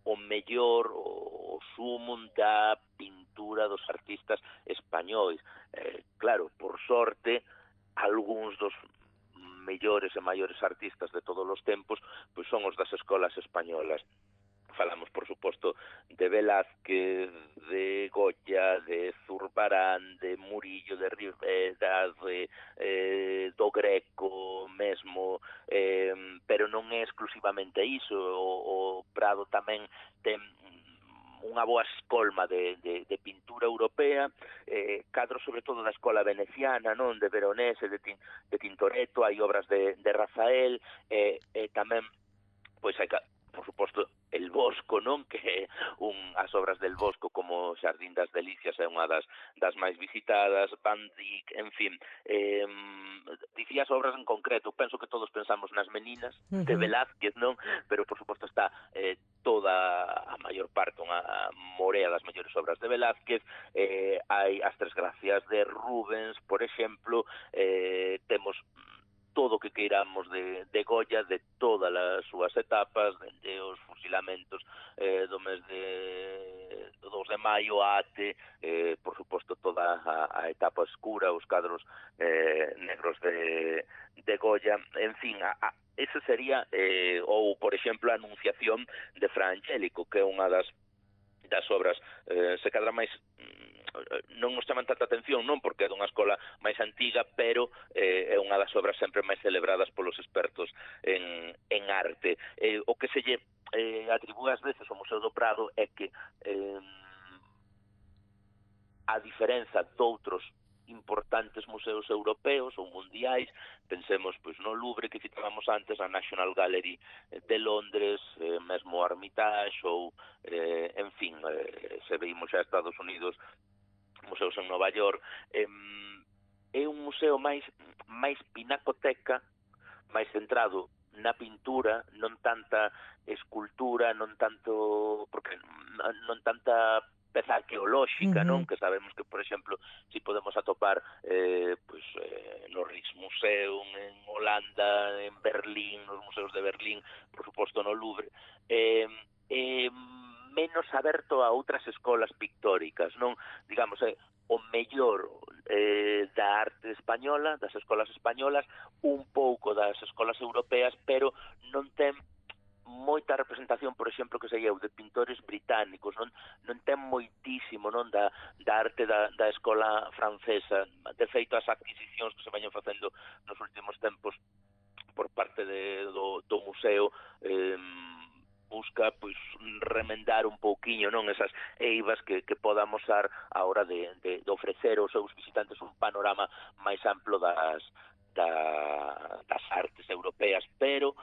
o mellor, o sumum da pintura dos artistas españois. Claro, por sorte, algúns dos mellores e maiores artistas de todos os tempos pois son os das escolas españolas. Falamos, por suposto, de Velázquez, de Goya, de Zurbarán, de Murillo, de Rivera, do Greco mesmo, pero non é exclusivamente iso. O Prado tamén ten unha boa escolma de pintura europea, cadros sobre todo da escola veneciana, non, de Veronese, de Tintoretto, hai obras de Rafael, e tamén pois hai por suposto el Bosco, non, que as obras del Bosco como Xardín das Delicias é unha das máis visitadas, Van Dyck, en fin, dicías obras en concreto, penso que todos pensamos nas Meninas de Velázquez, non, pero por suposto está toda a maior parte, unha morea das mellores obras de Velázquez, hai as Tres Gracias de Rubens, por exemplo, temos todo o que queiramos de Goya, de todas as súas etapas, dende os fusilamentos do mes de 2 de maio ate, por suposto, toda a etapa escura, os cadros negros de Goya, en fin, ese sería, ou, por exemplo, a Anunciación de Fra Angélico, que é unha das obras, se cadra máis non nos chaman tanta atención, non porque é dunha escola máis antiga, pero é unha das obras sempre máis celebradas polos expertos en arte. O que se lle atribúe ás veces ao Museo do Prado é que a diferenza doutros importantes museos europeos ou mundiais, pensemos pois no Louvre que citábamos antes, a National Gallery de Londres, mesmo o Hermitage ou, en fin, se veimos xa Estados Unidos, museos en Nova York, é un museo máis pinacoteca, máis centrado na pintura, non tanta escultura, non tanto, porque non tanta peza arqueolóxica, non? Que sabemos que, por exemplo, si podemos atopar no Rijksmuseum en Holanda, en Berlín, nos museos de Berlín, por suposto no Louvre, menos aberto a outras escolas pictóricas, non? Digamos, o mellor da arte española, das escolas españolas, un pouco das escolas europeas, pero non ten moita representación, por exemplo, que sería o de pintores británicos, non ten moitísimo, non, da arte da escola francesa. De feito, as adquisicións que se vayan facendo nos últimos tempos por parte do museo busca pois remendar un pouquiño, non, esas eivas que poda amosar a hora de ofrecer aos seus visitantes un panorama máis amplo das artes europeas, pero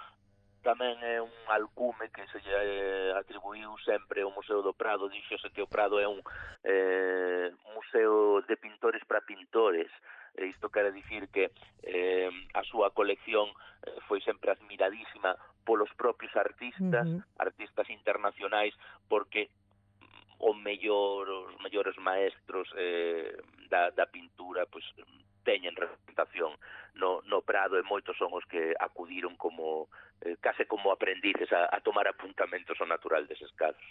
tamén é un alcume que se lle atribuiu sempre ao Museo do Prado. Díxose que o Prado é un museo de pintores para pintores. Isto quere dicir que a súa colección foi sempre admiradísima polos propios artistas, artistas internacionais, porque os mellores maestros da pintura pois teñen representación no Prado, e moitos son os que acudiron como case como aprendices a tomar apuntamentos ao natural deses cadros.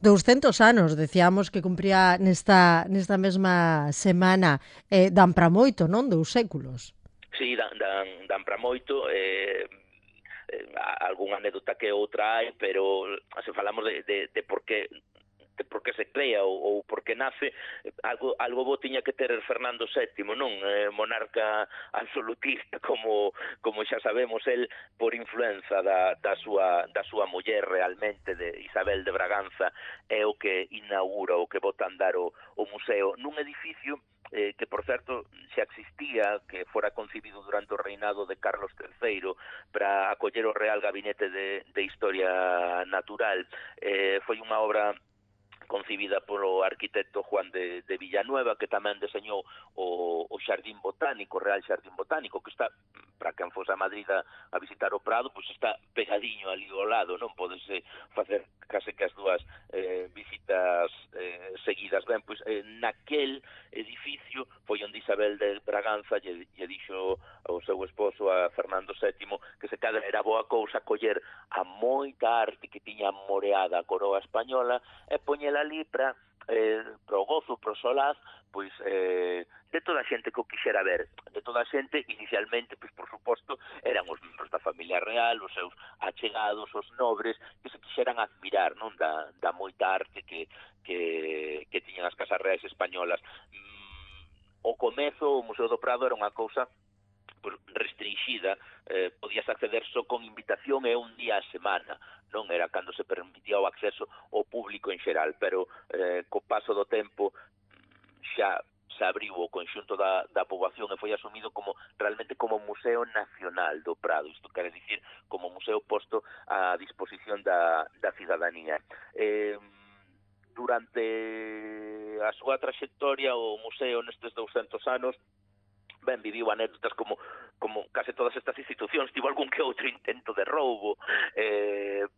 200 anos, decíamos que cumpría nesta mesma semana, dan para moito, non? 2 séculos. Sí, dan para moito, algunha anécdota que outra hai, pero se falamos de por que se crea ou por que nace, algo bo tiña que ter Fernando VII, non? Monarca absolutista, como xa sabemos, el por influenza da súa muller realmente, de Isabel de Braganza, é o que inaugura, o que bota a andar o museo nun edificio que, por certo, xa existía, que fora concibido durante o reinado de Carlos III para acoller o Real Gabinete de Historia Natural. Foi unha obra concibida polo arquitecto Juan de Villanueva, que tamén deseñou o Xardín Botánico, o Real Xardín Botánico, que está, para quen fose a Madrid a visitar o Prado, pois está pegadiño ali ao lado, non podese facer case que as dúas visitas seguidas. Ben, pois naquel edificio foi onde Isabel de Braganza lle dixo ao seu esposo, a Fernando VII, que se cadra era boa cousa coller a moita arte que tiña moreada a coroa española e poñela ali para pro gozo, pro solaz, pois de toda a xente que o quixera ver, de toda a xente, inicialmente, pois por suposto, eran os membros da familia real, os seus achegados, os nobres, que se quixeran admirar, non, da moita arte que tiñan as casas reais españolas. O comezo, o Museo do Prado era unha cousa pues, restringida, podías acceder só con invitación e un día a semana, non era cando se permitía o acceso ao público en xeral, pero co paso do tempo xa se abriu o conxunto da poboación e foi asumido realmente como Museo Nacional do Prado, isto quere dicir como museo posto a disposición da cidadanía. Durante a súa trayectoria o museo nestes 200 anos viviu anécdotas como case todas estas institucións, tivo algún que outro intento de roubo,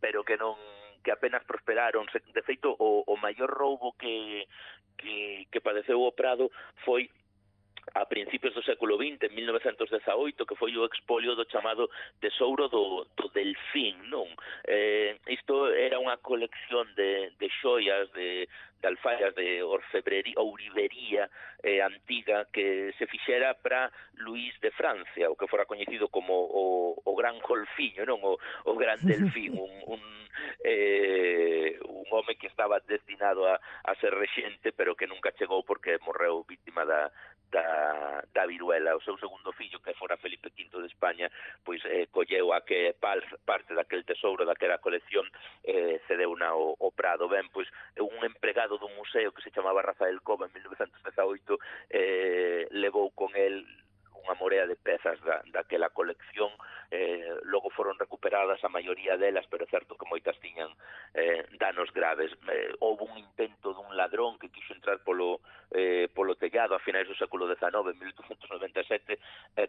pero que apenas prosperaron. De feito, o maior roubo que padeceu o Prado foi a principios do século XX, en 1918, que foi o expolio do chamado Tesouro do Delfín, non? Isto era unha colección de xoias, de alfaias, de ourivería antiga que se fixera para Luís de Francia, o que fora coñecido como o Gran Golfiño, non? O Gran Delfín, un home que estaba destinado a ser rexente, pero que nunca chegou porque morreu víctima da viruela. O seu segundo fillo, que fora Felipe V de España, pois colleu a que parte daquel tesouro, daquela colección, cedeuna ao Prado. Ben, pois un empregado dun museo que se chamaba Rafael Cova en 1918 levou con el unha morea de pezas daquela colección, logo foron recuperadas a maioría delas, pero é certo que moitas tiñan danos graves. Houve un intento dun ladrón que quixo entrar polo tellado a finais do século XIX, en 1897,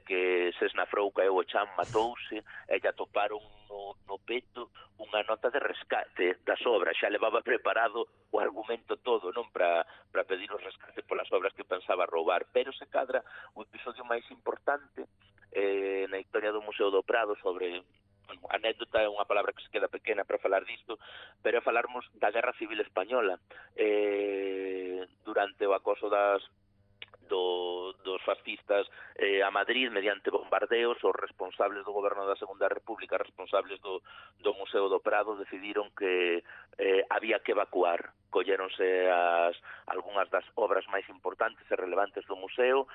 que se esnafrou, caeu o chan, matouse, e lle atoparon no peto unha nota de rescate das obras. Xa levaba preparado o argumento todo, non, para pedir o rescate polas obras que pensaba roubar, pero se cadra o episodio máis importante na historia do Museo do Prado sobre... anécdota é unha palabra que se queda pequena para falar disto, pero é falarmos da Guerra Civil Española. Durante o acoso dos fascistas a Madrid, mediante bombardeos, os responsables do goberno da Segunda República, responsables do Museo do Prado, decidiron que había que evacuar. Colléronse algunhas das obras máis importantes e relevantes do museo,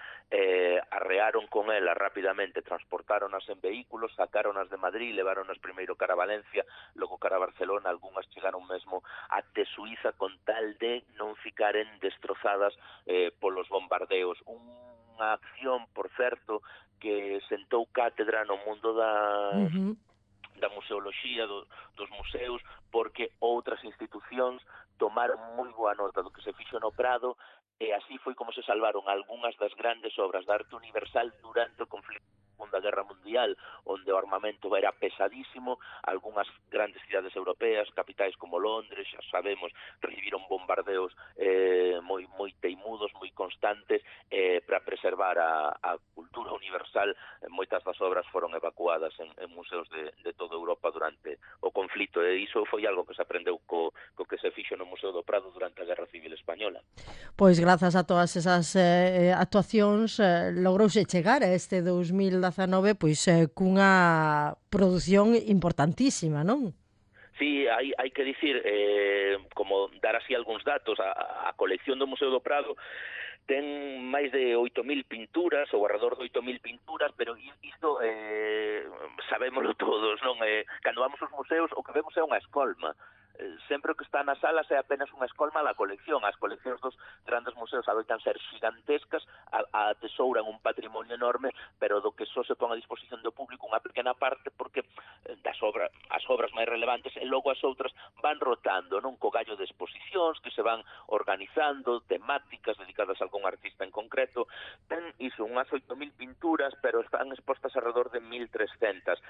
arrearon con elas rapidamente, transportáronas en vehículos, sacáronas de Madrid, leváronas primeiro cara a Valencia, logo cara a Barcelona, algunhas chegaron mesmo até Suiza con tal de non ficaren destrozadas polos bombardeos. Unha acción, por certo, que sentou cátedra no mundo da museoloxía, dos museos, porque outras institucións tomaron moi boa nota do que se fixo no Prado, e así foi como se salvaron algunhas das grandes obras de arte universal durante o conflito da Segunda Guerra Mundial, onde o armamento era pesadísimo. Algunhas grandes cidades europeas, capitais como Londres, xa sabemos, recibiron bombardeos moi teimudos, moi constantes, para preservar a cultura universal. Moitas das obras foron evacuadas en museos de toda Europa durante o conflito, e iso foi algo que se aprendeu co que se fixo no Museo do Prado durante a Guerra Civil Española. Pois grazas a todas esas actuacións logrouse chegar a este 2019 pois cunha produción importantísima, non? Sí, hai que dicir, como dar así algúns datos, a colección do Museo do Prado ten máis de 8.000 pinturas, ou alrededor de 8.000 pinturas, pero isto sabémoslo todos, non? Cando vamos aos museos, o que vemos é unha escolma. Sempre o que está nas salas é apenas unha escolma da colección. As coleccións dos grandes museos adoitan ser gigantescas, atesouran un patrimonio enorme, pero do que só se pon a disposición do público unha pequena parte, porque as obras máis relevantes e logo as outras van rotando, non, co gallo de exposicións que se van organizando, temáticas dedicadas a algún artista en concreto. Ten iso, unhas 8.000 pinturas, pero están expostas alrededor de 1.300.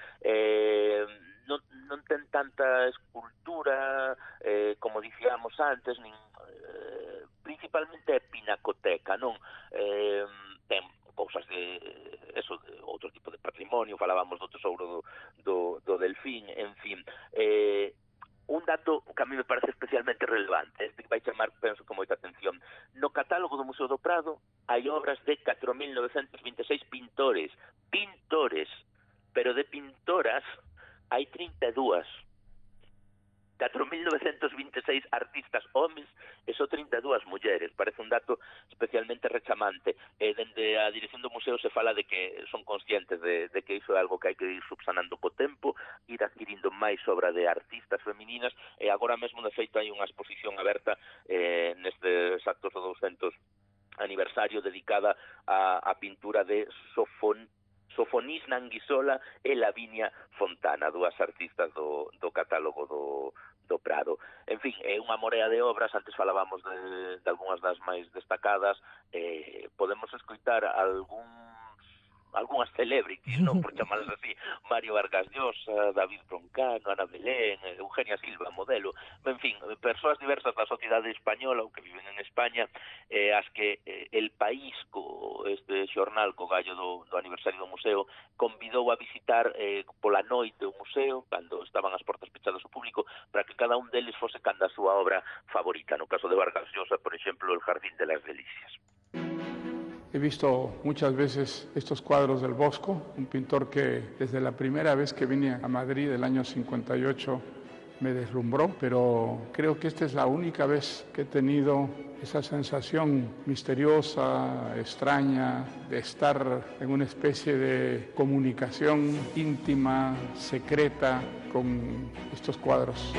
Non ten tanta escultura como dicíamos antes, principalmente é pinacoteca, non? Ten cousas de outro tipo de patrimonio, falábamos do tesouro do Delfín, en fin. Un dato que a mí me parece especialmente relevante, este que vai chamar, penso, con moita atención. No catálogo do Museo do Prado hai obras de 4.926 pintores, pero de pintoras hai 32. 4.926 artistas homes e só 32 mulleres. Parece un dato especialmente rechamante. Dende a dirección do museo se fala de que son conscientes de que iso é algo que hai que ir subsanando co tempo, ir adquirindo máis obra de artistas femininas, e agora mesmo, de feito, hai unha exposición aberta nestes actos do 200 aniversario dedicada a pintura de Sofonís Nanguisola e Lavinia Fontana, dúas artistas do catálogo do Prado. En fin, é unha morea de obras. Antes falábamos de algunhas das máis destacadas. Podemos escoitar algunhas celebrities, non, por chamarlas así: Mario Vargas Llosa, David Broncano, Ana Belén, Eugenia Silva, modelo, en fin, persoas diversas da sociedade española ou que viven en España, as que El País, este xornal co gallo do aniversario do museo, convidou a visitar pola noite o museo, cando estaban as portas pechadas ao público, para que cada un deles fose canda a súa obra favorita. No caso de Vargas Llosa, por exemplo, El Jardín de las Delicias. He visto muchas veces estos cuadros del Bosco, un pintor que desde la primera vez que vine a Madrid, el año 58, me deslumbró, pero creo que esta es la única vez que he tenido esa sensación misteriosa, extraña, de estar en una especie de comunicación íntima, secreta, con estos cuadros.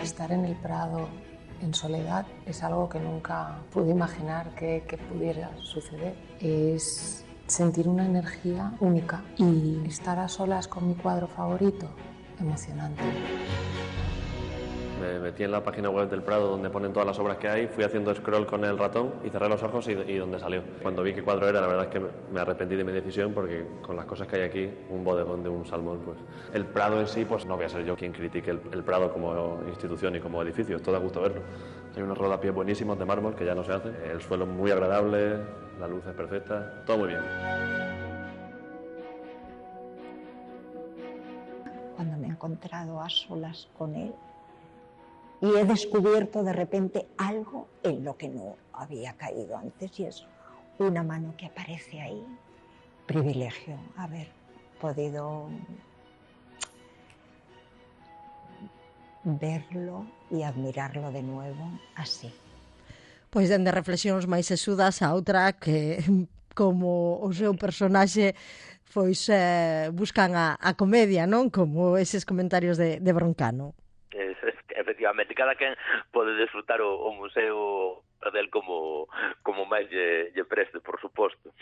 Estar en el Prado en soledad es algo que nunca pude imaginar que pudiera suceder. Es sentir una energía única y estar a solas con mi cuadro favorito, emocionante. Me metí en la página web del Prado donde ponen todas las obras que hay, fui haciendo scroll con el ratón y cerré los ojos y donde salió. Cuando vi qué cuadro era, la verdad es que me arrepentí de mi decisión, porque con las cosas que hay aquí, un bodegón de un salmón, pues el Prado en sí, pues no voy a ser yo quien critique el Prado como institución y como edificio, es todo a gusto verlo. Hay unos rodapiés buenísimos de mármol que ya no se hacen, el suelo muy agradable, la luz es perfecta, todo muy bien. Cuando me he encontrado a solas con él, y he descubierto de repente algo en lo que no había caído antes, y es una mano que aparece ahí. Privilegio haber podido verlo e admirarlo de nuevo así. Pois dende reflexións máis sesudas a outra que, como o seu personaxe, pois buscan a comedia, non? Como eses comentarios de Broncano. Efectivamente, cada quen pode disfrutar o museo del como máis lle preste, por suposto.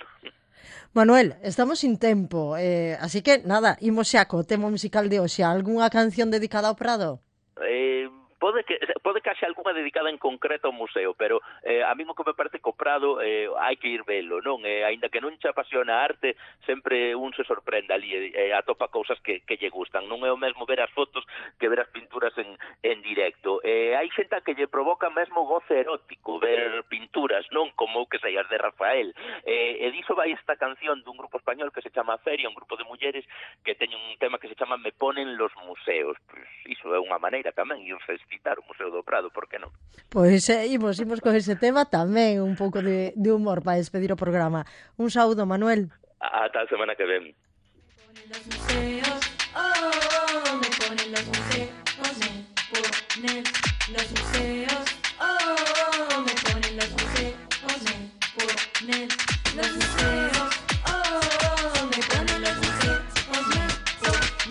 Manuel, estamos sin tempo, así que nada, imos xa co tema musical de hoxe. Algunha canción dedicada ao Prado? Pode que haxa algunha dedicada en concreto ao museo, pero a mí o que me parece que o Prado hai que ir velo, non? Aínda que non che apasiona a arte, sempre un se sorprende ali e atopa cousas que lle gustan. Non é o mesmo ver as fotos que ver as pinturas en directo. Hai xente que lle provoca mesmo goce erótico ver pinturas, non? Como que sei, as de Rafael. E diso vai esta canción dun grupo español que se chama Feria, un grupo de mulleres que teñen un tema que se chama Me ponen los museos. Pois iso é unha maneira tamén de citar o Museo do Prado, por que non? Pois imos con ese tema tamén, un pouco de humor para despedir o programa. Un saúdo, Manuel. Ata a semana que ven. Los museos, oh, me ponen los museos, me ponen los museos, oh, me ponen los museos, me ponen los museos, oh, me ponen los museos,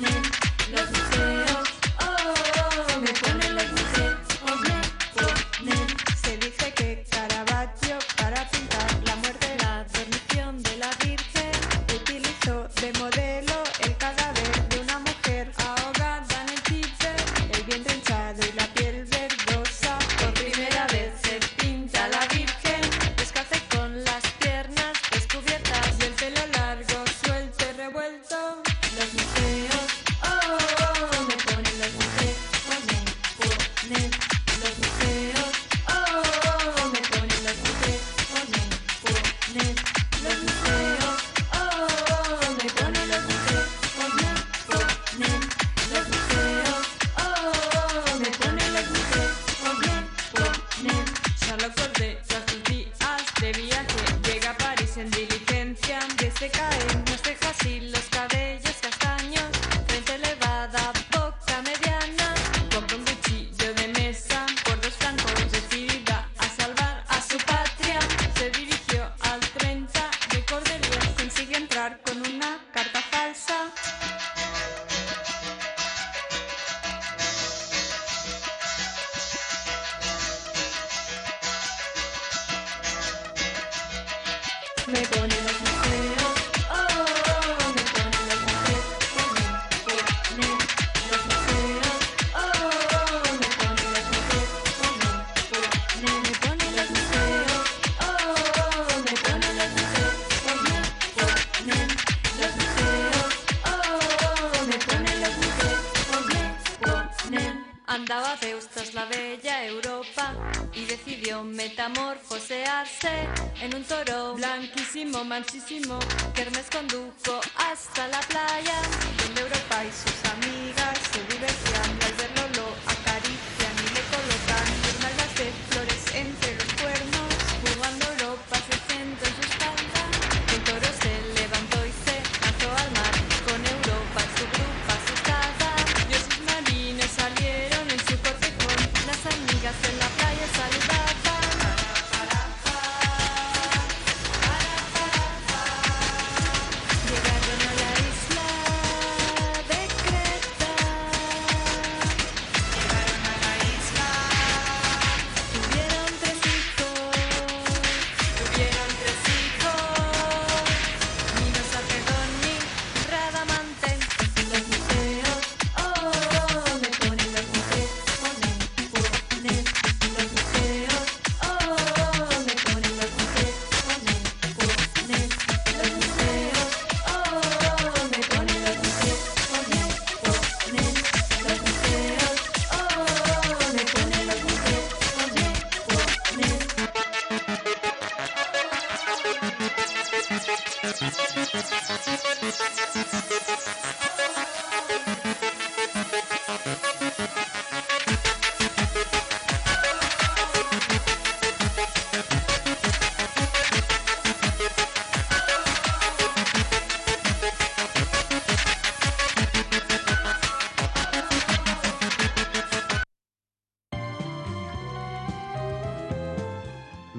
me ponen los museos, oh, me ponen los museos, me ponen. Se dice que Caravaggio para pintar la muerte, la dormición de la Virgen utilizó de modelo el cadáver de una mujer ahogada en el Tíber, el vientre hinchado y la piel verdosa. Por primera vez se pinta la Virgen descalza y con las piernas descubiertas y el pelo largo, suelto y revuelto. Los museos, oh, me ponen los museos, me ponen los museos, oh, me ponen los museos, me ponen los museos, oh, me ponen los museos, me ponen los museos, oh, me ponen los museos, me ponen. Charlotte Corday, tras sus días de viaje, llega a París en diligencia, desde caen las cejas y los cabellos castaños, frente elevada, boca mediana, me ponen los museos, oh, me ponen los museos, ponen los museos, oh, me ponen los museos, me ponen los museos, oh, me ponen los museos, ponen los museos, oh, me ponen los museos, ponen. Andaba Beustos la bella Europa y decidió metamorfosearse en un toro blanquísimo, manchísimo, que Hermes condujo hasta la playa, donde Europa y sus amigas se divertían y al verlo lo acarician y le colocan guirnaldas de flores entre los cuernos, jugando Europa se sentó en su espalda, el toro se levantó y se lanzó al mar, con Europa en su grupa asustada, y sus marines salieron en su cortejón, las amigas en la playa saludaban. Llegaron a la isla de Creta. Llegaron a la isla. Tuvieron tres hijos. Minos, Sarpedón y Radamante. Los museos, oh, me ponen los museos, ponen los museos, oh, me ponen los museos, ponen los museos, oh, me ponen los museos, ponen los museos, oh, me ponen los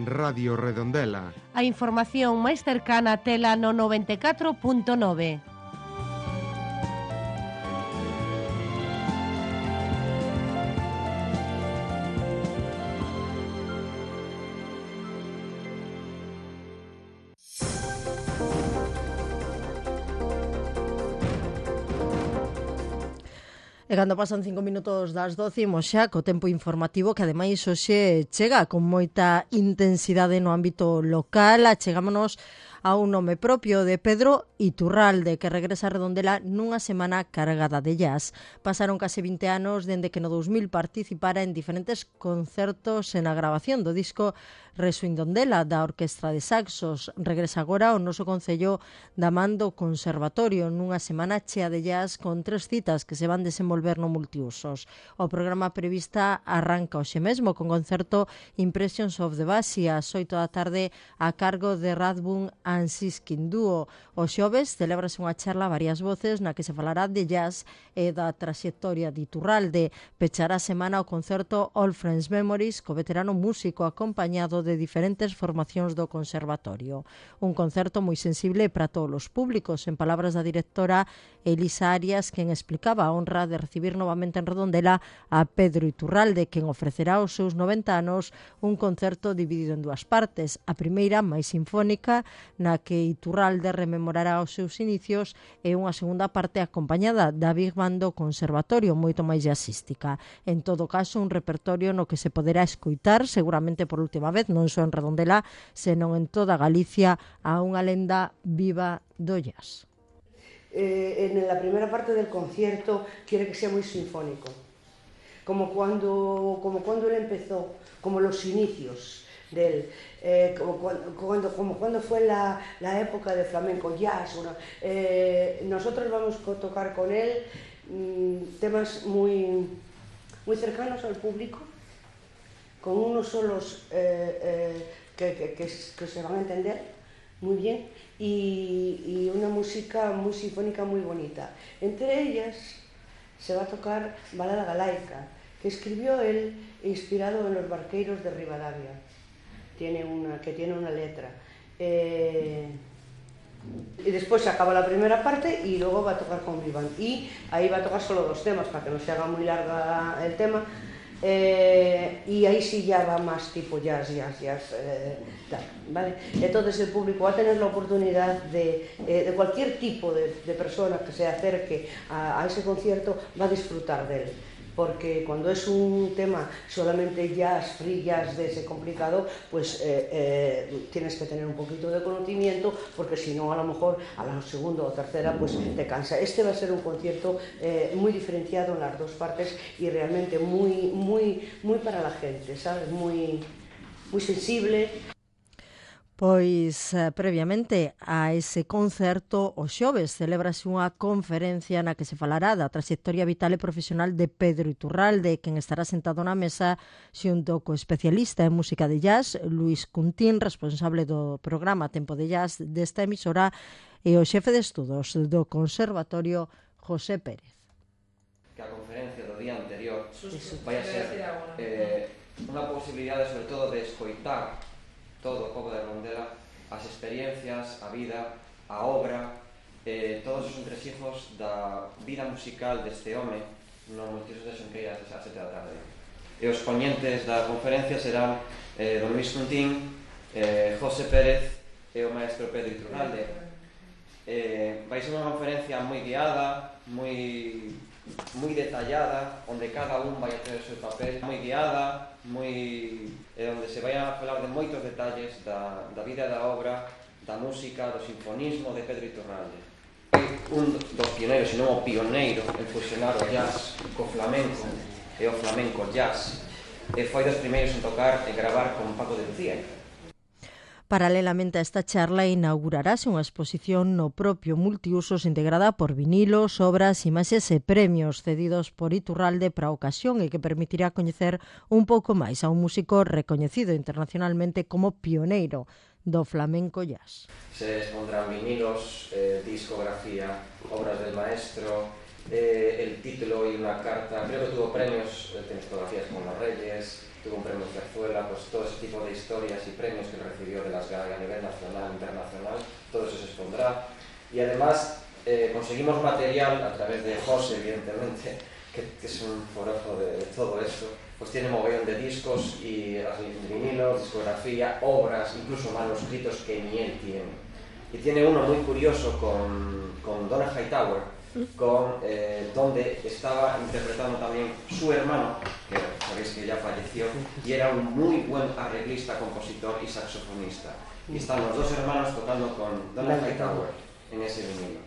Radio Redondela. A información máis cercana tela no 94.9. E cando pasan 5 minutos das 12, imos xa co tempo informativo que ademais hoxe chega con moita intensidade no ámbito local. Achegámonos a un nome propio de Pedro Iturralde, que regresa a Redondela nunha semana cargada de jazz. Pasaron case 20 anos dende que no 2000 participara en diferentes concertos en a grabación do disco Resuindondela da Orquestra de Saxos. Regresa agora ao noso concello da man do Conservatorio nunha semana chea de jazz con 3 citas que se van desenvolver no multiusos. O programa prevista arranca hoxe mesmo con concerto Impressions of the Basia ás 8 da tarde a cargo de Radbun Ansiskin Duo. O xoves celébrase unha charla a varias voces na que se falará de jazz e da traxectoria de Iturralde. Pechará a semana o concerto All Friends Memories co veterano músico acompañado de diferentes formacións do Conservatorio. Un concerto moi sensible para todos os públicos, en palabras da directora Elisa Arias, quen explicaba a honra de recibir novamente en Redondela a Pedro Iturralde, quen ofrecerá aos seus 90 anos un concerto dividido en dúas partes. A primeira, máis sinfónica, na que Iturralde rememorará os seus inicios, e unha segunda parte acompañada da Big Band do Conservatorio, moito máis jazzística. En todo caso, un repertorio no que se poderá escoitar, seguramente por última vez, non só en Redondela, senón en toda Galicia, a unha lenda viva do jazz. En la primera parte del concierto quiere que sea muy sinfónico, como cuando él empezó, como los inicios de él, como cuando fue la época de flamenco jazz. Nosotros vamos a tocar con él temas muy cercanos al público, con unos solos que se van a entender muy bien, y una música muy sinfónica muy bonita. Entre ellas se va a tocar Balada Galaica, que escribió él inspirado en los barqueiros de Rivadavia. Tiene una letra. Y después se acaba la primera parte y luego va a tocar con Big Band. Y ahí va a tocar solo 2 temas, para que no se haga muy larga el tema. y ahí sí ya va más tipo jazz, tal, ¿vale? Entonces el público va a tener la oportunidad de cualquier tipo de persona que se acerque a ese concierto, va a disfrutar de él. Porque cuando es un tema solamente jazz, free jazz de ese complicado, pues tienes que tener un poquito de conocimiento, porque si no, a lo mejor a la segunda o tercera pues te cansa. Este va a ser un concierto muy diferenciado en las dos partes y realmente muy para la gente, ¿sabes? Muy sensible. Pois previamente a ese concerto o xoves celebrase unha conferencia na que se falará da trayectoria vital e profesional de Pedro Iturralde, quen estará sentado na mesa xunto co especialista en música de jazz Luis Cuntín, responsable do programa Tempo de Jazz desta emisora, e o xefe de estudos do Conservatorio José Pérez. Que a conferencia do día anterior vai a ser unha posibilidade sobre todo de escoitar todo o pobo de Redondela, as experiencias, a vida, a obra, todos os entresijos da vida musical deste home no Multiusos de Xunqueiras a 7 da tarde. E os poñentes da conferencia serán don Luis Cuntín, José Pérez e o maestro Pedro Iturralde. Vai ser unha conferencia moi guiada, moi detallada, onde cada un vai a ter o seu papel, moi guiada, onde se vai a falar de moitos detalles da vida e da obra, da música, do sinfonismo de Pedro Iturralde. Un dos pioneiros, senón o pioneiro en fusionar o jazz co flamenco e o flamenco jazz, e foi dos primeiros en tocar e gravar con Paco de Lucía. Paralelamente a esta charla inaugurarase unha exposición no propio Multiusos integrada por vinilos, obras, imaxes e premios cedidos por Iturralde para a ocasión e que permitirá coñecer un pouco máis a un músico recoñecido internacionalmente como pioneiro do flamenco jazz. Se expondrán vinilos, discografía, obras del maestro, el título y una carta. Creo que tuvo premios, tiene fotografías con los Reyes, tuvo un premio Zarzuela, pues todo ese tipo de historias y premios que recibió de las GAE a nivel nacional e internacional, todo eso se expondrá. Y además conseguimos material a través de José, evidentemente, que es un forofo de todo eso, pues tiene mogollón de discos y vinilos, discografía, obras, incluso manuscritos que ni él tiene. Y tiene uno muy curioso con Donna Hightower, donde estaba interpretando también su hermano, que sabéis que ya falleció, y era un muy buen arreglista, compositor y saxofonista. Y están los dos hermanos tocando con Donna Hightower en ese vinilo.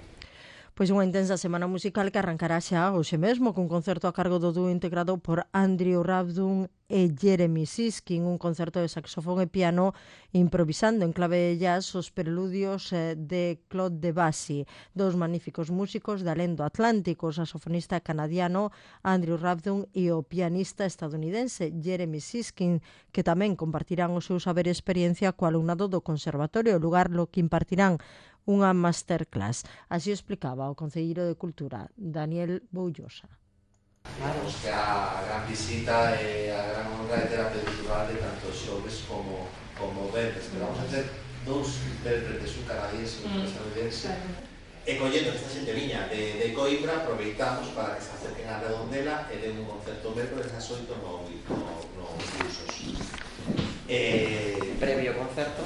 Pois unha intensa semana musical que arrancará xa hoxe mesmo cun concerto a cargo do dúo integrado por Andrew Rabdun e Jeremy Siskin, un concerto de saxofón e piano improvisando en clave de jazz os preludios de Claude Debussy, dos magníficos músicos de alén do Atlántico, o saxofonista canadiano Andrew Rabdun e o pianista estadounidense Jeremy Siskin, que tamén compartirán o seu saber e experiencia co alumnado do Conservatorio, lugar lo que impartirán unha masterclass. Así explicaba o concelleiro de Cultura, Daniel Boullosa. Claro, que a gran visita e a gran honra de ter a Pedro Iturralde tanto xoves como venres, pero vamos a ter dous intérpretes, un canadiense e un estadounidense. E collendo esta xente viña de Coimbra, aproveitamos para que se acerquen a Redondela e den un concerto mércoles ás 8 no Multiusos. Previo concerto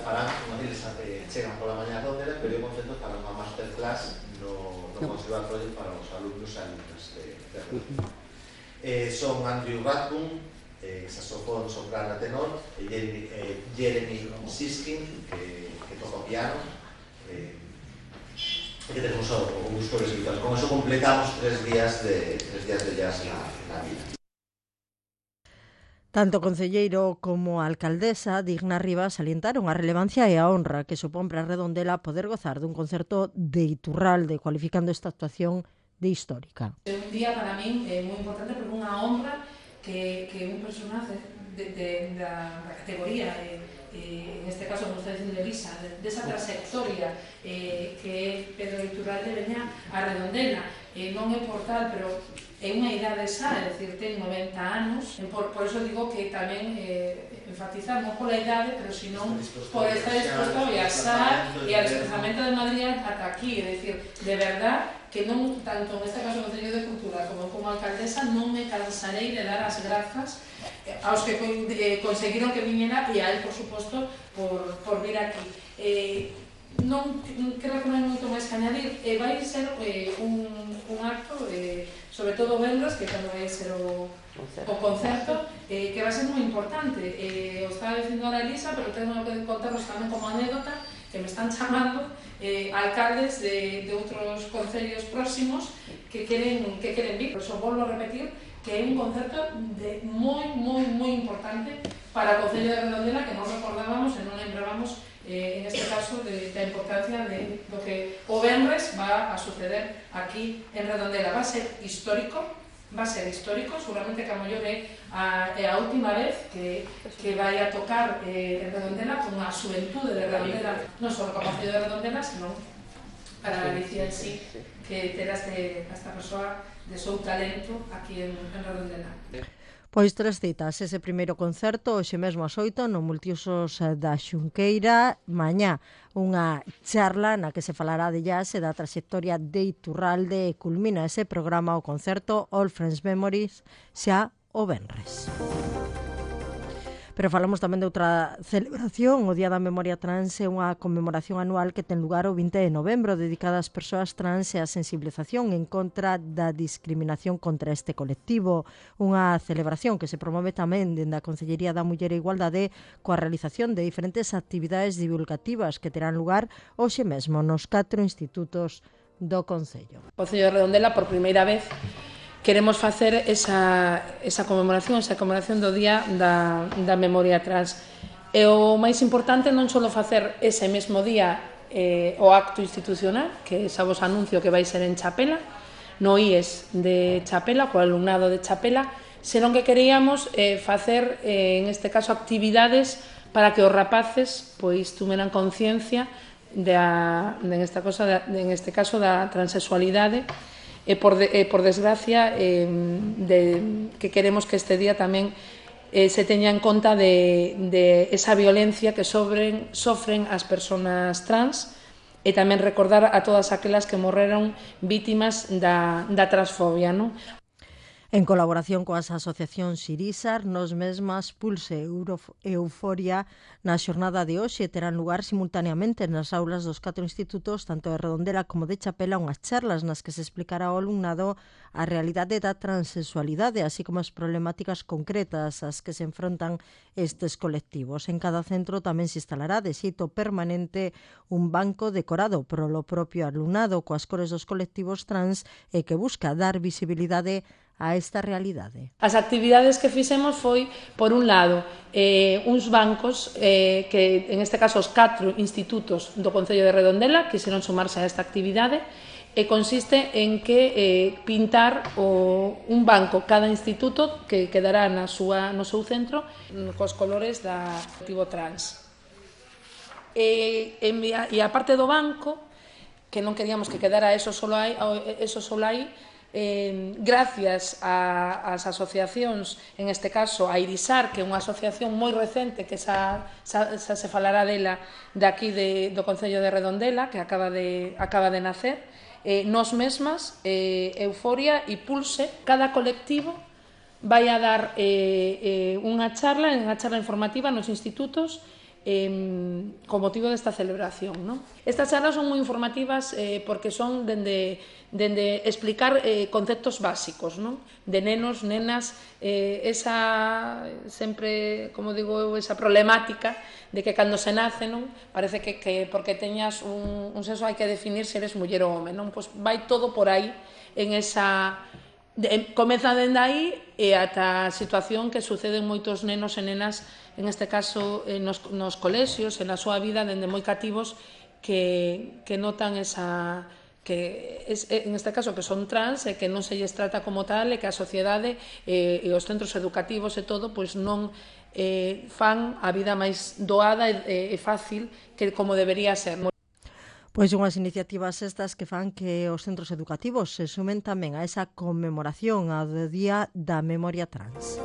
farán, eles chegan pola mañá a Redondela, previo concerto farán unha masterclass no Conservatorio para os alumnos e alumnas de Redondela. Son Andrew Rabdun, saxofón, soprano e tenor, Jeremy Siskin, que toca o piano, e que tenemos o gusto de escuchar. Con eso completamos 3 días de jazz na vida. Tanto o concelleiro como a alcaldesa Digna Rivas salientaron a relevancia e a honra que supón para Redondela poder gozar dun concerto de Iturralde, cualificando esta actuación de histórica. É un día para min moi importante porque unha honra que un personaje da categoría, en este caso, como está dicindo Elisa, desa trayectoria que Pedro Iturralde veña a Redondela. Non é por tal, pero é unha idade xa, é dicir, ten 90 anos, por eso digo que tamén enfatizar non pola idade, pero senón por estar disposto a viaxar e ao desplazamento de Madrid ata aquí, é dicir, de verdad que non, tanto neste caso no Concello de Cultura como alcaldesa, non me cansarei de dar as grazas aos que conseguiron que viñera e a él, por suposto, por vir aquí. Non creo que non hai moito máis que añadir. Vai ser un acto, sobre todo o venres, que cando vai ser o concerto, que vai ser moi importante. O estaba dicindo ahora Elisa, pero tengo que contaros tamén como anécdota, que me están chamando alcaldes de outros concellos próximos que queren vir. Por iso volvo a repetir que é un concerto moi importante para o Concello de Redondela, que non recordábamos e non lembrábamos en este caso da importancia de lo que o venres va a suceder aquí en Redondela. Va a ser histórico, seguramente que a mellor é a última vez que vai a tocar en Redondela con a xuventude de Redondela, non só como Concello de Redondela, senón para Galicia en sí, que terá esta persoa de seu talento aquí en Redondela. Pois 3 citas, ese primeiro concerto hoxe mesmo ás 8 no Multiusos da Xunqueira, mañá unha charla na que se falará de jazz e da trayectoria de Iturralde e culmina ese programa o concerto All Friends Memories xa o venres. Pero falamos tamén de outra celebración. O Día da Memoria Trans é unha conmemoración anual que ten lugar o 20 de novembro dedicada ás persoas trans e á sensibilización en contra da discriminación contra este colectivo. Unha celebración que se promove tamén dende a Concellería da Muller e Igualdade coa realización de diferentes actividades divulgativas que terán lugar hoxe mesmo nos 4 institutos do Concello. O Concello de Redondela, por primeira vez, queremos facer esa conmemoración do Día da Memoria Trans. E o máis importante non só facer ese mesmo día o acto institucional, que xa vos anuncio que vai ser en Chapela, no IES de Chapela, co alumnado de Chapela, senón que queríamos facer, en este caso, actividades para que os rapaces pois tuveran conciencia en este caso da transexualidade, e por desgracia que queremos que este día tamén se teña en conta de esa violencia que sofren as persoas trans e tamén recordar a todas aquelas que morreron vítimas da transfobia, non? En colaboración coas asociacións Irisar, Nos Mesmas, Pulse e Euforia, na xornada de hoxe terán lugar simultaneamente nas aulas dos 4 institutos, tanto de Redondela como de Chapela, unhas charlas nas que se explicará ao alumnado a realidade da transexualidade, así como as problemáticas concretas ás que se enfrontan estes colectivos. En cada centro tamén se instalará de xeito permanente un banco decorado polo propio alumnado coas cores dos colectivos trans e que busca dar visibilidade a esta realidade. As actividades que fixemos foi, por un lado, uns bancos que, en este caso, os 4 institutos do Concello de Redondela quixeron sumarse a esta actividade e consiste en que pintar un banco cada instituto que quedará no seu centro cos colores da colectivo trans. E a parte do banco, que non queríamos que quedara eso solo aí, gracias ás asociacións, en este caso a Irisar, que é unha asociación moi recente que xa se falará dela de aquí do Concello de Redondela, que acaba de nacer, Nos Mesmas, Euforia e Pulse. Cada colectivo vai a dar unha charla informativa nos institutos con motivo desta celebración, non? Estas charlas son moi informativas porque son dende explicar conceptos básicos, non? De nenos, nenas, sempre, como digo eu, esa problemática de que cando se nace, non? Parece que porque teñas un sexo hai que definir se eres muller ou home, non? Pois vai todo por aí en esa... Comeza dende aí e ata a situación que suceden moitos nenos e nenas, en este caso nos colexios, na súa vida, dende moi cativos, que notan esa... que en este caso que son trans e que non se lles trata como tal e que a sociedade e os centros educativos e todo pois non fan a vida máis doada e fácil que como debería ser. Pois unhas iniciativas estas que fan que os centros educativos se sumen tamén a esa conmemoración ao Día da Memoria Trans.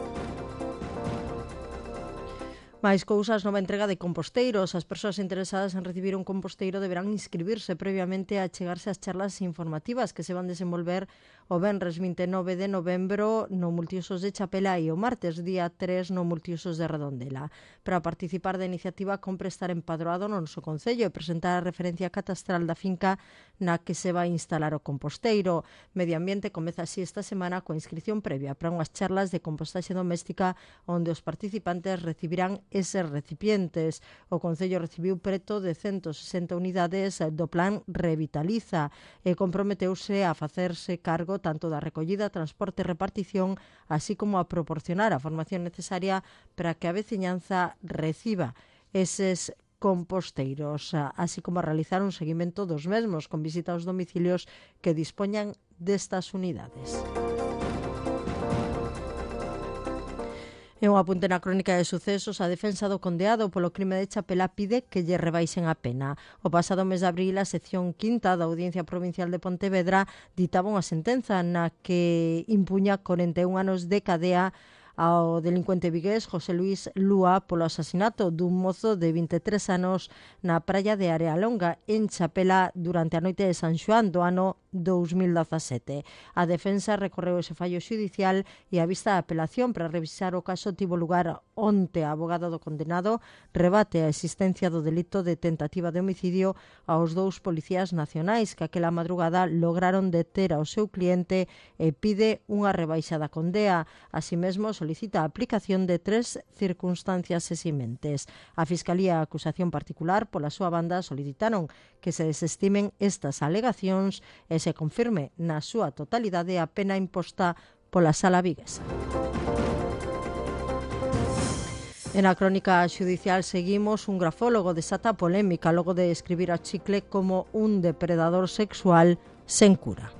Máis cousas, nova entrega de composteiros. As persoas interesadas en recibir un composteiro deberán inscribirse previamente a chegarse ás charlas informativas que se van desenvolver o venres 29 de novembro no Multiusos de Chapela e o martes día 3 no Multiusos de Redondela. Para participar da iniciativa compre estar empadroado no noso concello e presentar a referencia catastral da finca na que se vai instalar o composteiro. Medio Ambiente comeza así esta semana coa inscripción previa para unhas charlas de compostaxe doméstica onde os participantes recibirán eses recipientes. O Concello recibiu preto de 160 unidades do plan Revitaliza e comprometeuse a facerse cargo tanto da recollida, transporte e repartición, así como a proporcionar a formación necesaria para que a veciñanza reciba eses composteiros, así como a realizar un seguimento dos mesmos con visita aos domicilios que dispoñan destas unidades. En un apunte na crónica de sucesos, a defensa do condeado polo crime de Chapela pide que lle rebaixen a pena. O pasado mes de abril, a sección quinta da Audiencia Provincial de Pontevedra ditaba unha sentenza na que impuña 41 anos de cadea ao delincuente vigués José Luis Lúa polo asasinato dun mozo de 23 anos na praia de Arealonga, en Chapela, durante a noite de San Xoán do ano 2017. A defensa recorreu ese fallo xudicial e a vista de apelación para revisar o caso tivo lugar onte. A abogada do condenado rebate a existencia do delito de tentativa de homicidio aos dous policías nacionais que aquela madrugada lograron deter ao seu cliente e pide unha rebaixa da condea. Así mesmo, solicita a aplicación de 3 circunstancias eximentes. A Fiscalía e a acusación particular, pola súa banda, solicitaron que se desestimen estas alegacións e se confirme na súa totalidade a pena imposta pola Sala viguesa. En a crónica xudicial seguimos. Un grafólogo desata polémica logo de describir a Chicle como un depredador sexual sen cura.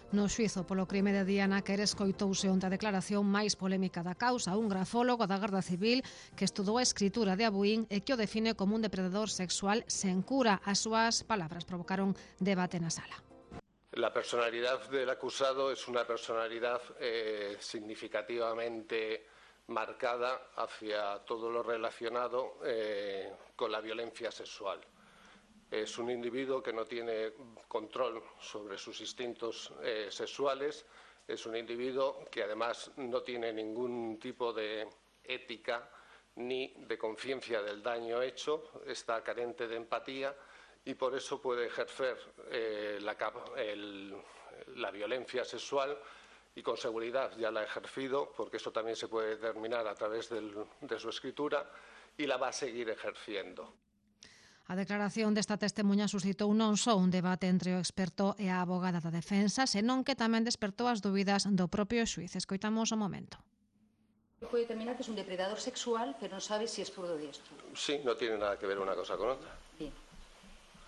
No xuizo polo crime de Diana Quere escoitouse onte a declaración máis polémica da causa, un grafólogo da Garda Civil que estudou a escritura de Abuín e que o define como un depredador sexual sen cura. As súas palabras provocaron debate na sala. La personalidad del acusado es una personalidad significativamente marcada hacia todo lo relacionado con la violencia sexual. Es un individuo que no tiene control sobre sus instintos sexuales, es un individuo que además no tiene ningún tipo de ética ni de conciencia del daño hecho, está carente de empatía y por eso puede ejercer la violencia sexual y con seguridad ya la ha ejercido, porque eso también se puede determinar a través de su escritura, y la va a seguir ejerciendo. A declaración desta testemunha suscitou non só un debate entre o experto e a abogada da defensa, senón que tamén despertou as dúbidas do propio xuiz. Escoitamos o momento. Puede determinar que es un depredador sexual, pero no sabe si es zurdo o diestro. Sí, no tiene nada que ver una cosa con otra. Bien.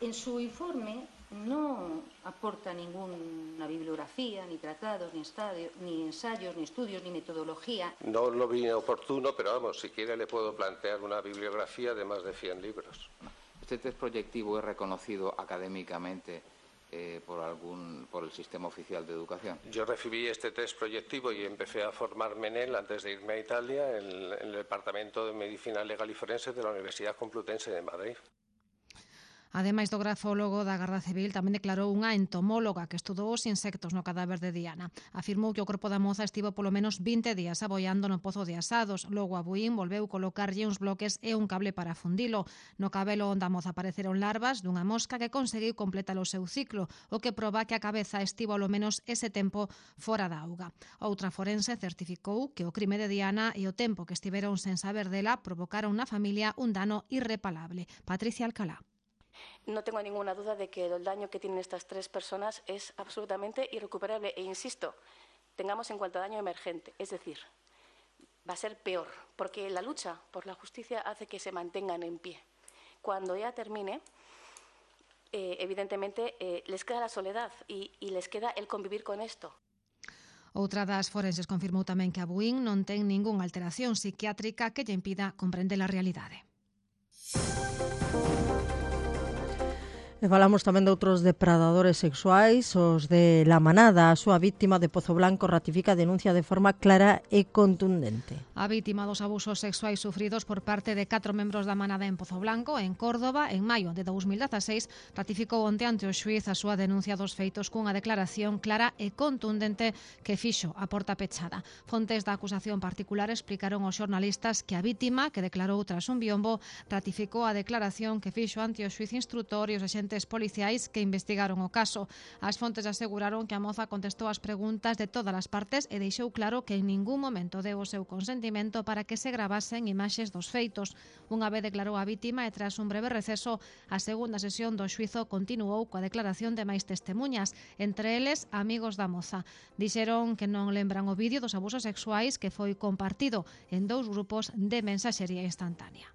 En su informe no aporta ninguna bibliografía, ni tratados, ni ensayos, ni estudios, ni metodología. No lo vi oportuno, pero vamos, si quiere le puedo plantear una bibliografía de más de 100 libros. ¿Este test proyectivo es reconocido académicamente por el sistema oficial de educación? Yo recibí este test proyectivo y empecé a formarme en él antes de irme a Italia en el Departamento de Medicina Legal y Forense de la Universidad Complutense de Madrid. Ademais do grafólogo da Garda Civil, tamén declarou unha entomóloga que estudou os insectos no cadáver de Diana. Afirmou que o corpo da moza estivo polo menos 20 días aboiando no pozo de Asados. Logo Abuín volveu colocarlle uns bloques e un cable para fundilo. No cabelo onde a moza apareceron larvas dunha mosca que conseguiu completar o seu ciclo, o que proba que a cabeza estivo ao menos ese tempo fora da auga. Outra forense certificou que o crime de Diana e o tempo que estiveron sen saber dela provocaron na familia un dano irreparable. Patricia Alcalá. No tengo ninguna duda de que el daño que tienen estas 3 personas es absolutamente irrecuperable. E insisto, tengamos en cuenta daño emergente, es decir, va a ser peor, porque la lucha por la justicia hace que se mantengan en pie. Cuando ya termine, evidentemente, les queda la soledad y les queda el convivir con esto. Outra das forenses confirmou tamén que Abuín non ten ningunha alteración psiquiátrica que lle impida comprender a realidade. E falamos tamén de outros depredadores sexuais, os de La Manada. A súa víctima de Pozo Blanco ratifica a denuncia de forma clara e contundente. A víctima dos abusos sexuais sufridos por parte de 4 membros da Manada en Pozo Blanco, en Córdoba, en maio de 2016, ratificou onte ante o xuíz a súa denuncia dos feitos cunha declaración clara e contundente que fixo a porta pechada. Fontes da acusación particular explicaron aos xornalistas que a víctima, que declarou tras un biombo, ratificou a declaración que fixo ante o xuíz instrutor e os axentes policiais que investigaron o caso. As fontes aseguraron que a moza contestou as preguntas de todas as partes e deixou claro que en ningún momento deu o seu consentimento para que se gravasen imaxes dos feitos. Unha vez declarou a vítima e tras un breve receso, a segunda sesión do xuízo continuou coa declaración de máis testemuñas, entre eles amigos da moza. Dixeron que non lembran o vídeo dos abusos sexuais que foi compartido en 2 grupos de mensaxería instantánea.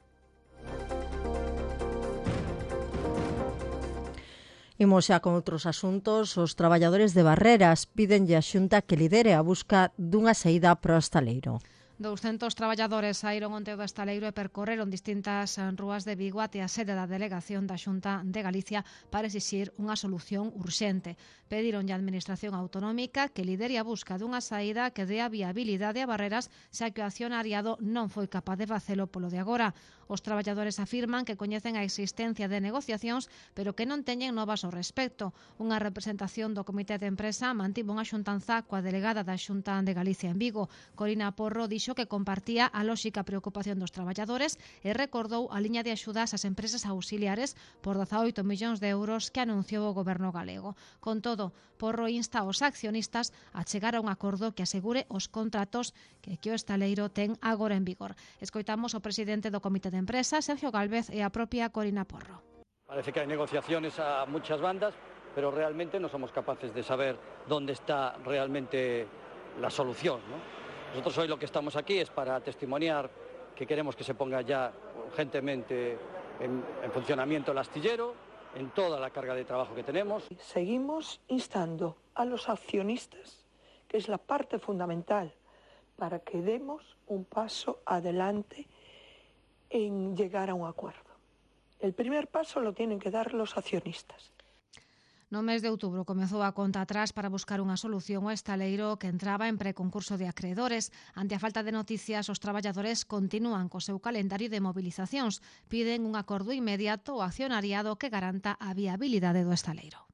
Imos xa con outros asuntos. Os traballadores de Barreras pídenlle á Xunta que lidere a busca dunha saída para o estaleiro. 200 traballadores saíron onte do estaleiro e percorreron distintas rúas de Vigo até a sede da delegación da Xunta de Galicia para exixir unha solución urxente. Pedironlle á Administración Autonómica que lidere a busca dunha saída que dé a viabilidade a Barreras, xa que o accionariado non foi capaz de facelo polo de agora. Os traballadores afirman que coñecen a existencia de negociacións, pero que non teñen novas ao respecto. Unha representación do Comité de Empresa mantivo unha xuntanza coa delegada da Xunta de Galicia en Vigo. Corina Porro dixo que compartía a lóxica preocupación dos traballadores e recordou a liña de axudas ás empresas auxiliares por 18 millóns de euros que anunciou o goberno galego. Con todo, Porro insta aos accionistas a chegar a un acordo que asegure os contratos que o estaleiro ten agora en vigor. Escoitamos o presidente do Comité de Empresa, Sergio Gálvez, e a propia Corina Porro. Parece que hay negociaciones a muchas bandas, pero realmente no somos capaces de saber dónde está realmente la solución, ¿no? Nosotros hoy lo que estamos aquí es para testimoniar que queremos que se ponga ya urgentemente en funcionamiento el astillero, en toda la carga de trabajo que tenemos. Seguimos instando a los accionistas, que es la parte fundamental, para que demos un paso adelante en llegar a un acuerdo. El primer paso lo tienen que dar los accionistas. No mes de outubro comezou a conta atrás para buscar unha solución ao estaleiro que entraba en preconcurso de acreedores. Ante a falta de noticias, os traballadores continúan co seu calendario de movilizacións. Piden un acordo inmediato ao accionariado que garanta a viabilidade do estaleiro.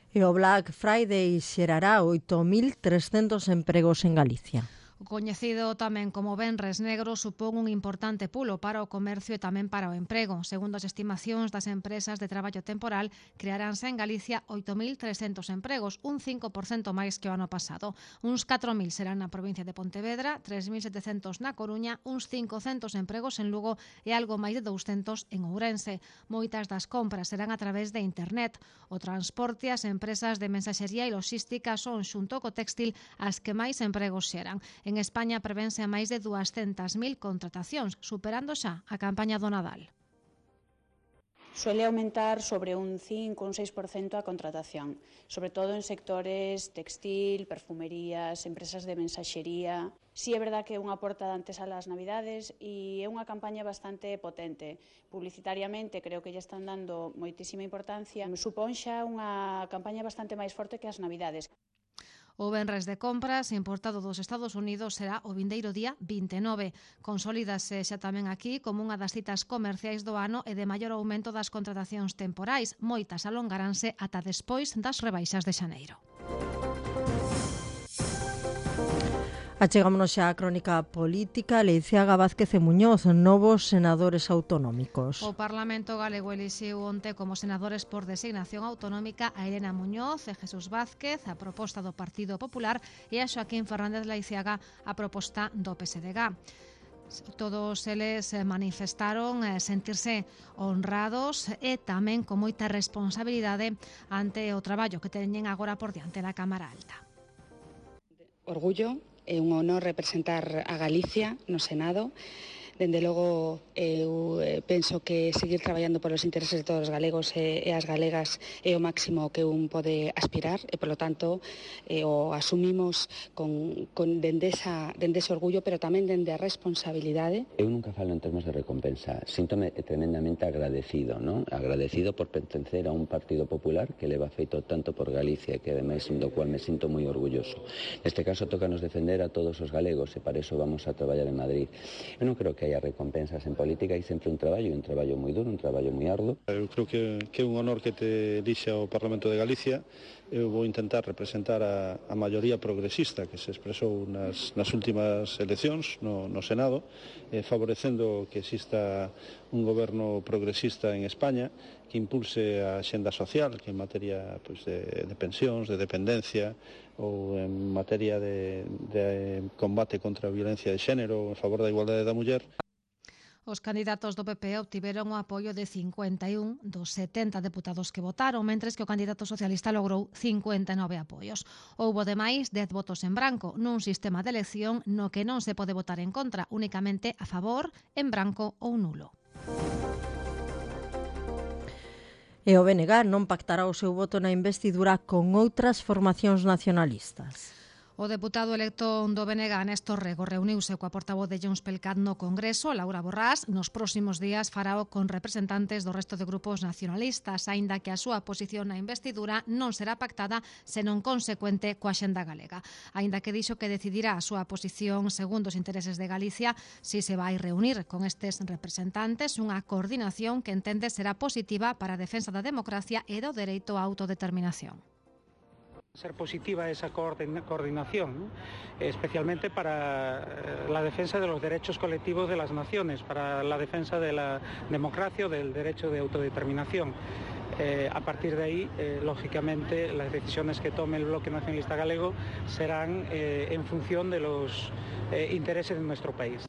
E o Black Friday xerará 8.300 empregos en Galicia. O coñecido tamén como Venres Negro supón un importante pulo para o comercio e tamén para o emprego. Segundo as estimacións das empresas de traballo temporal, crearánse en Galicia 8.300 empregos, un 5% máis que o ano pasado. Uns 4.000 serán na provincia de Pontevedra, 3.700 na Coruña, uns 500 empregos en Lugo e algo máis de 200 en Ourense. Moitas das compras serán a través de internet. O transporte, as empresas de mensaxería e logística son, xunto co textil, as que máis empregos xeran. En España prevense a máis de 200.000 contratacións, superando xa a campaña do Nadal. Suele aumentar sobre un 5 ou un 6% a contratación, sobre todo en sectores textil, perfumerías, empresas de mensaxería. Sí é verdad que é unha porta de antes a las Navidades e é unha campaña bastante potente. Publicitariamente creo que lle están dando moitísima importancia. Supón xa unha campaña bastante máis forte que as Navidades. O venres de compras importado dos Estados Unidos será o vindeiro día 29. Consolídase xa tamén aquí como unha das citas comerciais do ano e de maior aumento das contratacións temporais. Moitas alongaránse ata despois das rebaixas de xaneiro. Achegámonos xa á crónica política. Leiziaga Vázquez e Muñoz, novos senadores autonómicos. O Parlamento galego elixiu onte como senadores por designación autonómica a Elena Muñoz e Jesús Vázquez, a proposta do Partido Popular, e a Xoaquín Fernández Leiziaga, a proposta do PSDG. Todos eles manifestaron sentirse honrados e tamén con moita responsabilidade ante o traballo que teñen agora por diante na Cámara Alta. Orgullo. É un honor representar a Galicia no Senado. dende logo, eu penso que seguir traballando polos intereses de todos os galegos e as galegas é o máximo que un pode aspirar e, polo tanto, o asumimos dende ese orgullo, pero tamén dende a responsabilidade. Eu nunca falo en termos de recompensa, síntome tremendamente agradecido, ¿no? Agradecido por pertencer a un partido popular que leva feito tanto por Galicia, que ademais do cual me sinto moi orgulloso. Neste caso tócanos defender a todos os galegos e para iso vamos a traballar en Madrid. Eu non creo que haya recompensas en política, hai sempre un traballo moi duro, un traballo moi arduo. Eu creo que é un honor que te elixe ao Parlamento de Galicia. Eu vou intentar representar a maioría progresista que se expresou nas últimas eleccións no Senado, favorecendo que exista un goberno progresista en España que impulse a axenda social, que en materia de pensións, de dependencia, ou en materia de combate contra a violencia de xénero, en favor da igualdade da muller. Os candidatos do PP obtiveron o apoio de 51 dos 70 deputados que votaron, mentres que o candidato socialista logrou 59 apoios. Houbo demais 10 votos en branco, nun sistema de elección no que non se pode votar en contra, únicamente a favor, en branco ou nulo. E o BNG non pactará o seu voto na investidura con outras formacións nacionalistas. O deputado electo do BNG, Néstor Rego, reuniuse coa portavoz de Junts pel Cat no Congreso, Laura Borrás. Nos próximos días farao con representantes do resto de grupos nacionalistas, aínda que a súa posición na investidura non será pactada senón consecuente coa axenda galega. Aínda que dixo que decidirá a súa posición segundo os intereses de Galicia, si se vai reunir con estes representantes unha coordinación que entende será positiva para a defensa da democracia e do dereito á autodeterminación. Ser positiva esa coordinación, ¿no? Especialmente para la defensa de los derechos colectivos de las naciones, para la defensa de la democracia o del derecho de autodeterminación. A partir de ahí, lógicamente, las decisiones que tome el bloque nacionalista galego serán en función de los intereses de nuestro país.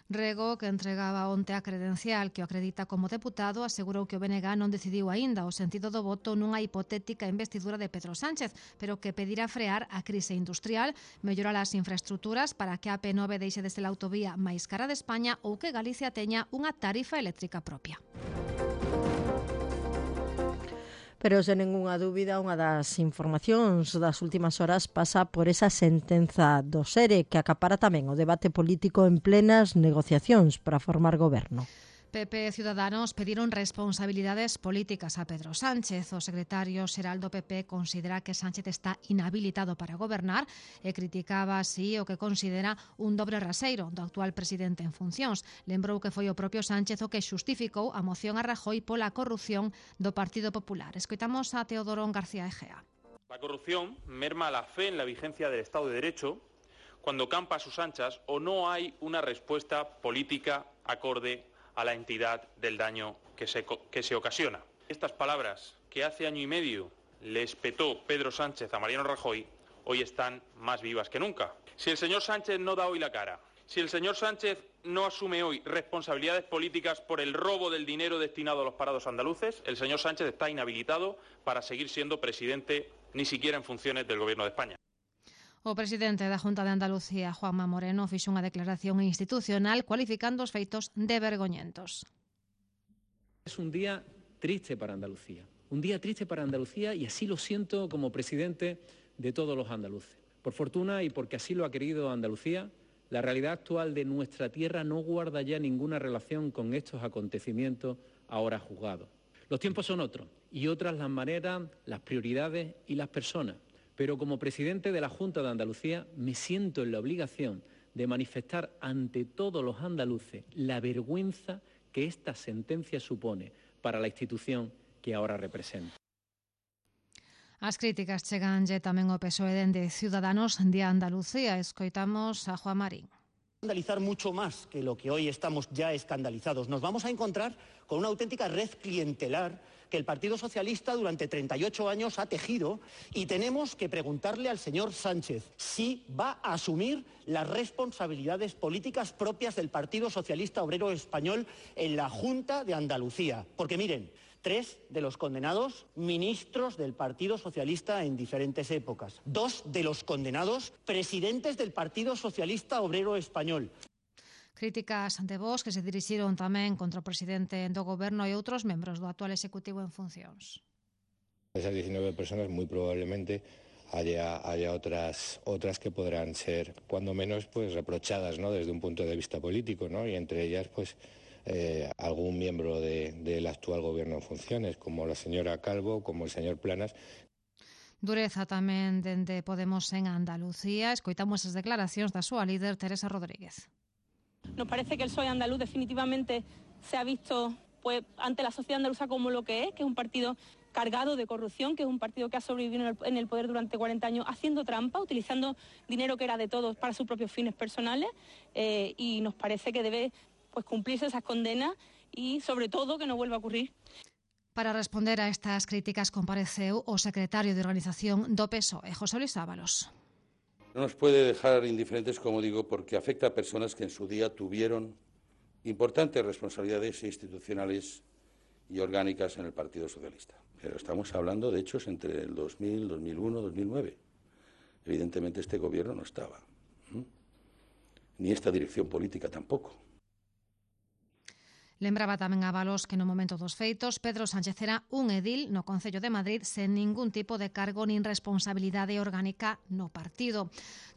Rego, que entregaba onte a credencial que o acredita como deputado, asegurou que o BNG non decidiu aínda o sentido do voto nunha hipotética investidura de Pedro Sánchez, pero que pedirá frear a crise industrial, mellorar as infraestructuras para que a AP9 deixe de ser a autovía máis cara de España ou que Galicia teña unha tarifa eléctrica propia. Pero sen ningunha dúbida, unha das informacións das últimas horas pasa por esa sentenza do SERE que acapara tamén o debate político en plenas negociacións para formar goberno. PP e Ciudadanos pediron responsabilidades políticas a Pedro Sánchez. O secretario xeral do PP considera que Sánchez está inhabilitado para gobernar e criticaba así o que considera un dobre raseiro do actual presidente en funcións. Lembrou que foi o propio Sánchez o que xustificou a moción a Rajoy pola corrupción do Partido Popular. Escoitamos a Teodoro García Egea. La corrupción merma la fe en la vigencia del Estado de Derecho cuando campa a sus anchas o no hay una respuesta política acorde a la entidad del daño que se ocasiona. Estas palabras que hace año y medio le espetó Pedro Sánchez a Mariano Rajoy hoy están más vivas que nunca. Si el señor Sánchez no da hoy la cara, si el señor Sánchez no asume hoy responsabilidades políticas por el robo del dinero destinado a los parados andaluces, el señor Sánchez está inhabilitado para seguir siendo presidente ni siquiera en funciones del Gobierno de España. O presidente da Junta de Andalucía, Juanma Moreno, fixo unha declaración institucional cualificando os feitos de vergoñentos. Es un día triste para Andalucía, y así lo siento como presidente de todos los andaluces. Por fortuna y porque así lo ha querido Andalucía, la realidad actual de nuestra tierra no guarda ya ninguna relación con estos acontecimientos ahora juzgados. Los tiempos son otros y otras las maneras, las prioridades y las personas. Pero como presidente de la Junta de Andalucía me siento en la obligación de manifestar ante todos los andaluces la vergüenza que esta sentencia supone para la institución que ahora represento. As críticas cheganlle tamén o PSOE dende Ciudadanos de Andalucía. Escoitamos a Juan Marín. Escandalizar mucho más que lo que hoy estamos ya escandalizados. Nos vamos a encontrar con una auténtica red clientelar que el Partido Socialista durante 38 años ha tejido y tenemos que preguntarle al señor Sánchez si va a asumir las responsabilidades políticas propias del Partido Socialista Obrero Español en la Junta de Andalucía. Porque miren, 3 de los condenados ministros del Partido Socialista en diferentes épocas. 2 de los condenados presidentes del Partido Socialista Obrero Español. Críticas ante Vox que se dirixiron tamén contra o presidente do goberno e outros membros do actual executivo en funcións. Esas 19 personas muy probablemente haya otras que podrán ser, cuando menos, pues reprochadas, ¿no?, desde un punto de vista político, ¿no?, y entre ellas, pues, algún miembro del actual gobierno en funciones, como la señora Calvo, como el señor Planas. Dureza tamén dende Podemos en Andalucía. Escoitamos as declaracións da súa líder, Teresa Rodríguez. Nos parece que el PSOE andaluz definitivamente se ha visto pues ante la sociedad andaluza como lo que es un partido cargado de corrupción, que es un partido que ha sobrevivido en el poder durante 40 años haciendo trampa, utilizando dinero que era de todos para sus propios fines personales, y nos parece que debe pues cumplirse esas condenas y sobre todo que no vuelva a ocurrir. Para responder a estas críticas compareceu o secretario de Organización do PSOE, José Luis Ábalos. No nos puede dejar indiferentes, como digo, porque afecta a personas que en su día tuvieron importantes responsabilidades institucionales y orgánicas en el Partido Socialista. Pero estamos hablando de hechos entre el 2000, 2001, 2009. Evidentemente este gobierno no estaba, ni esta dirección política tampoco. Lembraba tamén Ábalos que no momento dos feitos Pedro Sánchez era un edil no Concello de Madrid sen ningún tipo de cargo nin responsabilidade orgánica no partido.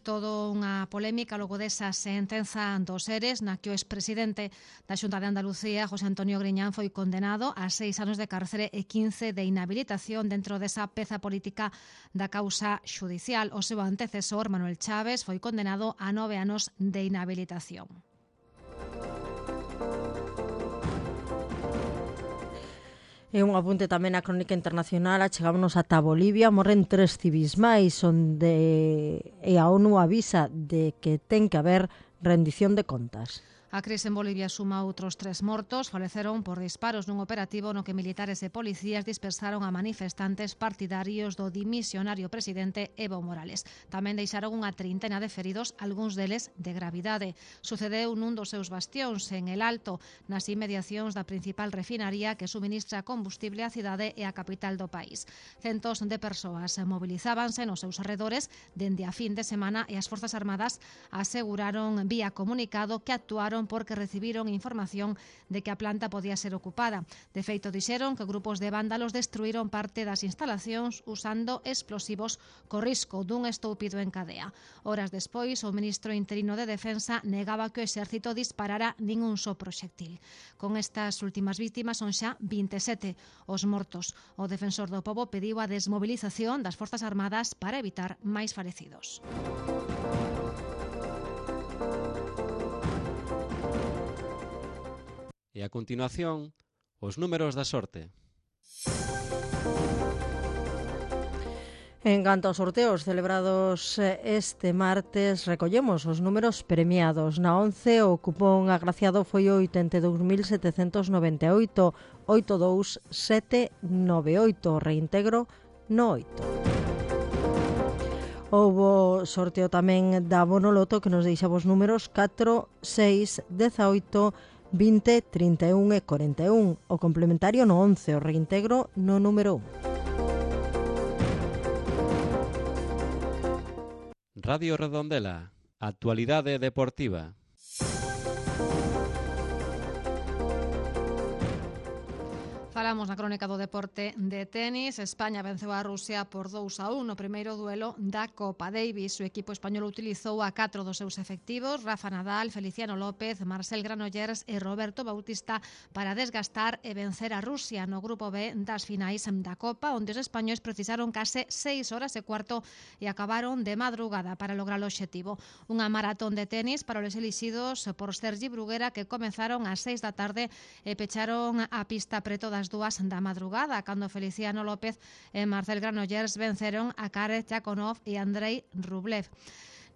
Todo unha polémica logo desa sentenza dos ERES na que o expresidente da Xunta de Andalucía, José Antonio Griñán, foi condenado a 6 anos de cárcere e 15 de inhabilitación dentro desa peza política da causa xudicial. O seu antecesor, Manuel Chaves, foi condenado a 9 anos de inhabilitación. E un apunte tamén á crónica internacional. Chegámonos ata Bolivia. Morren 3 civís máis, onde a ONU avisa de que ten que haber rendición de contas. A crise en Bolivia suma outros 3 mortos. Faleceron por disparos nun operativo no que militares e policías dispersaron a manifestantes partidarios do dimisionario presidente Evo Morales. Tamén deixaron unha trintena de feridos, algúns deles de gravidade. Sucedeu nun dos seus bastións, en El Alto, nas inmediacións da principal refinaría que suministra combustible á cidade e á capital do país. Centos de persoas mobilizábanse nos seus arredores dende a fin de semana e as Forzas Armadas aseguraron vía comunicado que actuaron porque recibiron información de que a planta podía ser ocupada. De feito, dixeron que grupos de vándalos destruíron parte das instalacións usando explosivos co risco dun estoupido en cadea. Horas despois, o ministro interino de Defensa negaba que o exército disparara ningún só proxectil. Con estas últimas víctimas son xa 27 os mortos. O defensor do pobo pediu a desmobilización das Forzas Armadas para evitar máis falecidos. E a continuación, os números da sorte. En canto aos sorteos celebrados este martes, recollemos os números premiados. Na 11, o cupón agraciado foi 82.798, 82798, reintegro no 8. Houbo sorteo tamén da Bonoloto que nos deixa os números 4, 6, 18, 20, 31 e 41. O complementario no 11, o reintegro no número 1. Radio Redondela, actualidade deportiva. Falamos na crónica do deporte de tenis. España venceu a Rusia por 2-1 no primeiro duelo da Copa Davis. O equipo español utilizou a 4 dos seus efectivos, Rafa Nadal, Feliciano López, Marcel Granollers e Roberto Bautista, para desgastar e vencer a Rusia no grupo B das finais da Copa, onde os españois precisaron case 6 horas e cuarto e acabaron de madrugada para lograr o obxectivo. Unha maratón de tenis para os elixidos por Sergi Bruguera, que comenzaron ás 6 da tarde e pecharon a pista preto das 2 da madrugada, cando Feliciano López e Marcel Granollers venceron a Karel Chakonov e Andrei Rublev.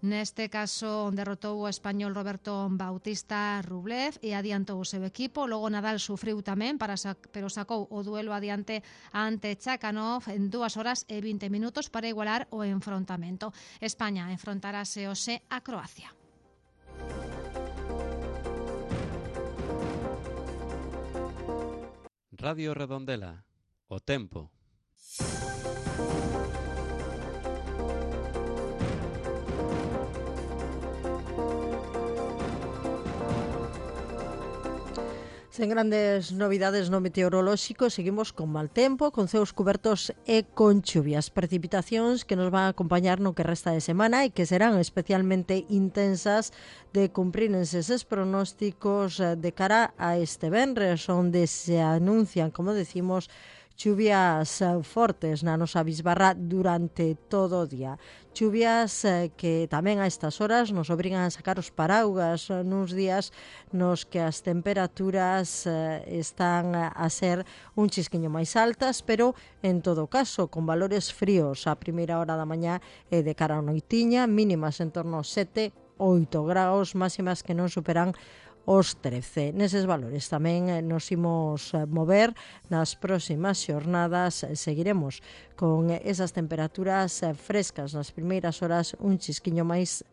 Neste caso derrotou o español Roberto Bautista Rublev e adiantou o seu equipo. Logo Nadal sufriu tamén, pero sacou o duelo adiante ante Chakanov en 2 horas e 20 minutos para igualar o enfrontamento. España enfrontarase hoxe a Croacia. Radio Redondela, o tempo. Sen grandes novidades no meteorolóxico, seguimos con mal tempo, con ceos cubertos e con chuvias. Precipitacións que nos van a acompañar no que resta de semana e que serán especialmente intensas de cumprírense eses pronósticos de cara a este venres, onde se anuncian, como decimos, chuvias fortes na nosa bisbarra durante todo o día. Chuvias que tamén a estas horas nos obrigan a sacar os paraugas nuns días nos que as temperaturas están a ser un chisquiño máis altas, pero en todo caso con valores fríos a primeira hora da mañá e de cara a noitiña, mínimas en torno aos 7, 8 graus, máximas que non superan os 13. Neses valores tamén nos imos mover nas próximas xornadas. Seguiremos con esas temperaturas frescas nas primeiras horas, un chisquiño máis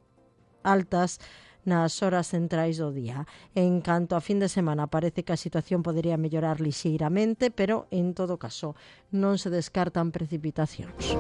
altas nas horas centrais do día. En canto a fin de semana, parece que a situación podería mellorar lixeiramente, pero en todo caso non se descartan precipitacións.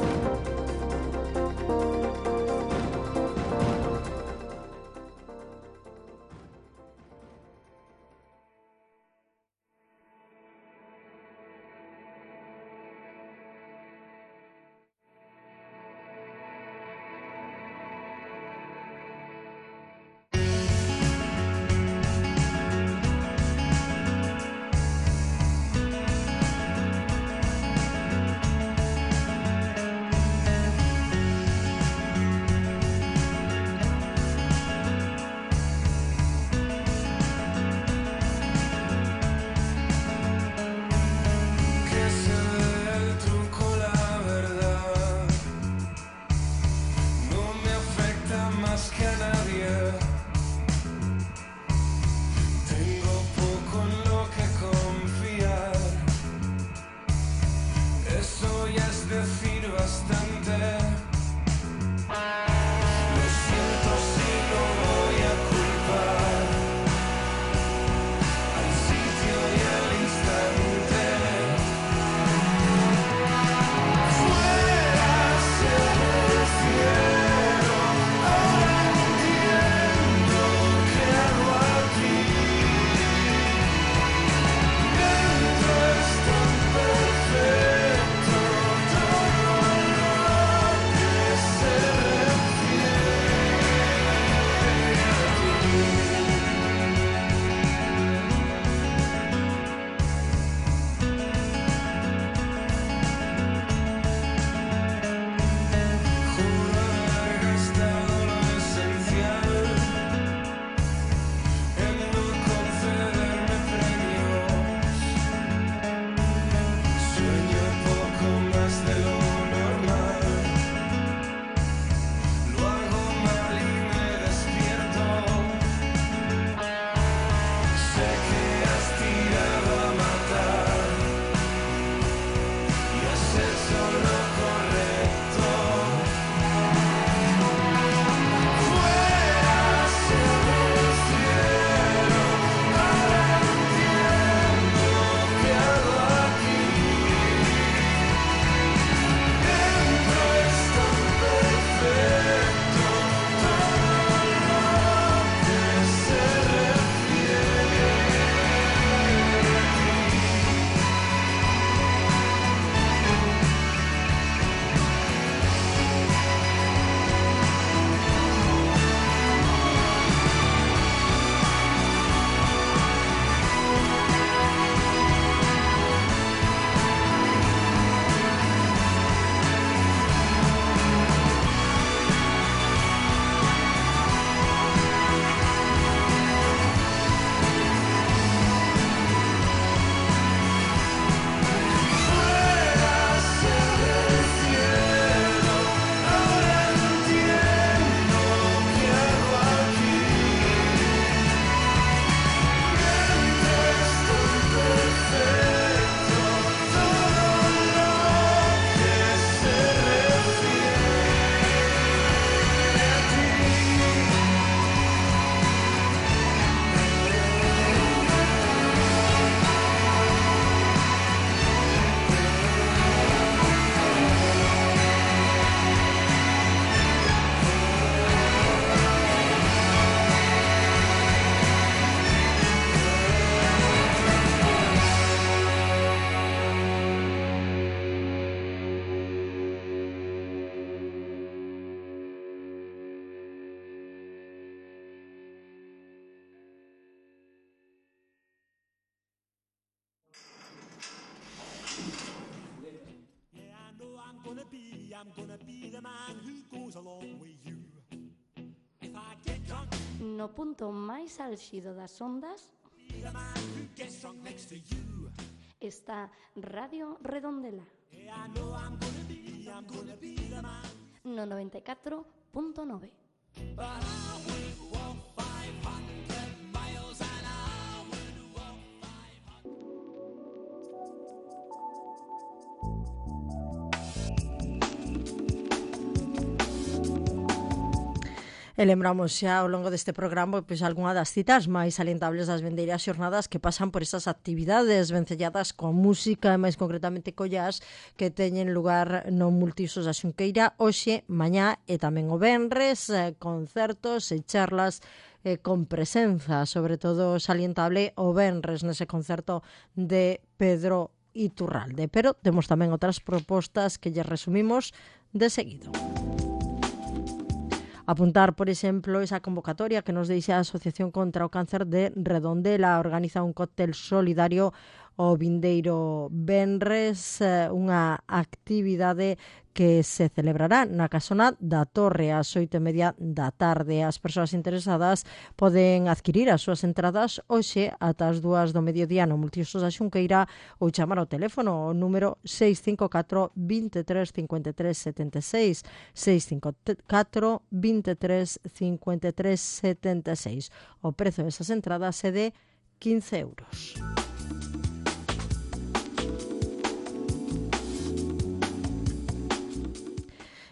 No punto máis álxido das ondas está Radio Redondela no 94.9. E lembramos xa ao longo deste programa pois algunha das citas máis salientables das vendeiras xornadas que pasan por esas actividades vencelladas coa música e máis concretamente co jazz que teñen lugar no Multiusos da Xunqueira hoxe, mañá e tamén o venres, concertos e charlas con presenza, sobre todo salientable o venres nese concerto de Pedro Iturralde. Pero temos tamén outras propostas que lle resumimos de seguido. Apuntar, por exemplo, esa convocatoria que nos deixa a Asociación contra o Cáncer de Redondela. Organiza un cóctel solidario o vindeiro venres, unha actividade que se celebrará na Casona da Torre ás 8:30 da tarde. As persoas interesadas poden adquirir as súas entradas hoxe ata as 2 do mediodía no Multiusos da Xunqueira ou chamar ao teléfono o número 654 23 53 76 654 23 53 76. O prezo desas entradas é de 15 euros.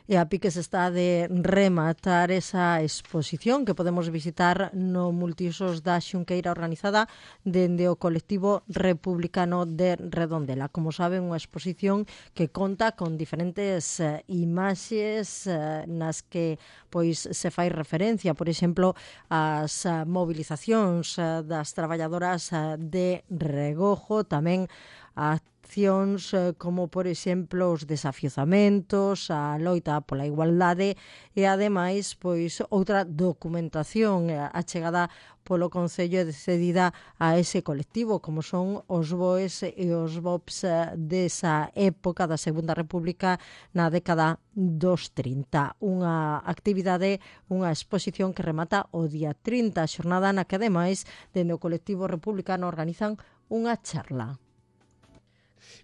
E a piques está de rematar esa exposición que podemos visitar no Multiusos da Xunqueira organizada dende o colectivo republicano de Redondela. Como saben, unha exposición que conta con diferentes imaxes nas que pois se fai referencia, por exemplo, ás movilizacións das traballadoras de Regojo, tamén a accións como, por exemplo, os desafiuzamentos, a loita pola igualdade e, ademais, pois outra documentación achegada polo Concello e cedida a ese colectivo, como son os BOEs e os BOPs desa época da Segunda República na década dos 30. Unha actividade, unha exposición que remata o día 30, a xornada na que, ademais, dende o colectivo republicano organizan unha charla.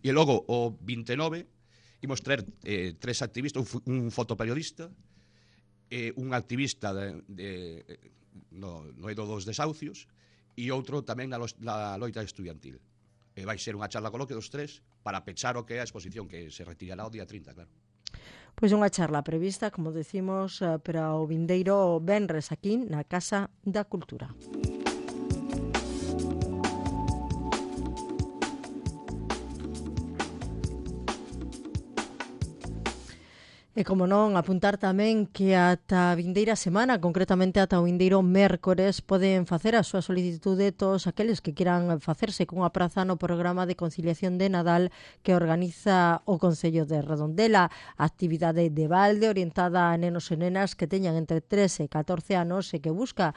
E logo, o 29, imos traer tres activistas, un fotoperiodista, un activista no eido dos desahucios e outro tamén na loita estudiantil. Vai ser unha charla coloquio dos tres para pechar o que é a exposición, que se retirará o día 30, claro. Pois unha charla prevista, como decimos, para o vindeiro venres aquí na Casa da Cultura. E, como non, apuntar tamén que ata a vindeira semana, concretamente ata o vindeiro mércores, poden facer a súa solicitude todos aqueles que quieran facerse cunha praza no programa de conciliación de Nadal que organiza o Concello de Redondela. Actividade de balde orientada a nenos e nenas que teñan entre 13 e 14 anos e que busca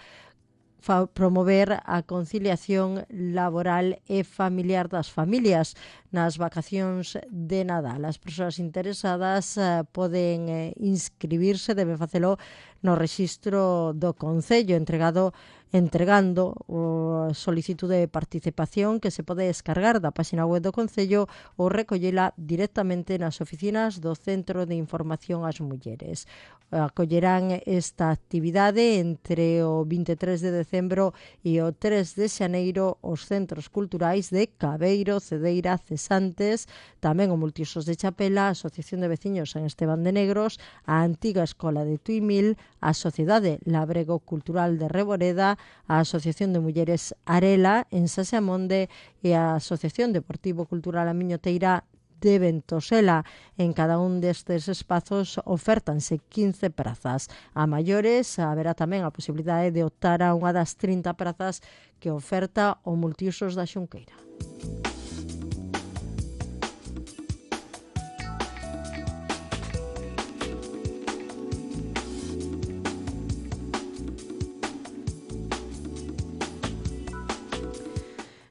promover a conciliación laboral e familiar das familias nas vacacións de Nadal. As persoas interesadas poden inscribirse, deben facelo no rexistro do Concello entregando a solicitude de participación que se pode descargar da página web do Concello ou recollela directamente nas oficinas do Centro de Información ás Mulleres. Acollerán esta actividade entre o 23 de decembro e o 3 de xaneiro os centros culturais de Cabeiro, Cedeira, Cesantes, tamén o Multiusos de Chapela, a Asociación de Veciños San Esteban de Negros, a Antiga Escola de Tuimil, a Sociedade Labrego Cultural de Reboreda, a Asociación de Mulleres Arela en Saseamonde e a Asociación Deportivo Cultural Amiñoteira de Ventosela. En cada un destes espazos ofértanse 15 prazas. A maiores haberá tamén a posibilidade de optar a unha das 30 prazas que oferta o Multiusos da Xunqueira.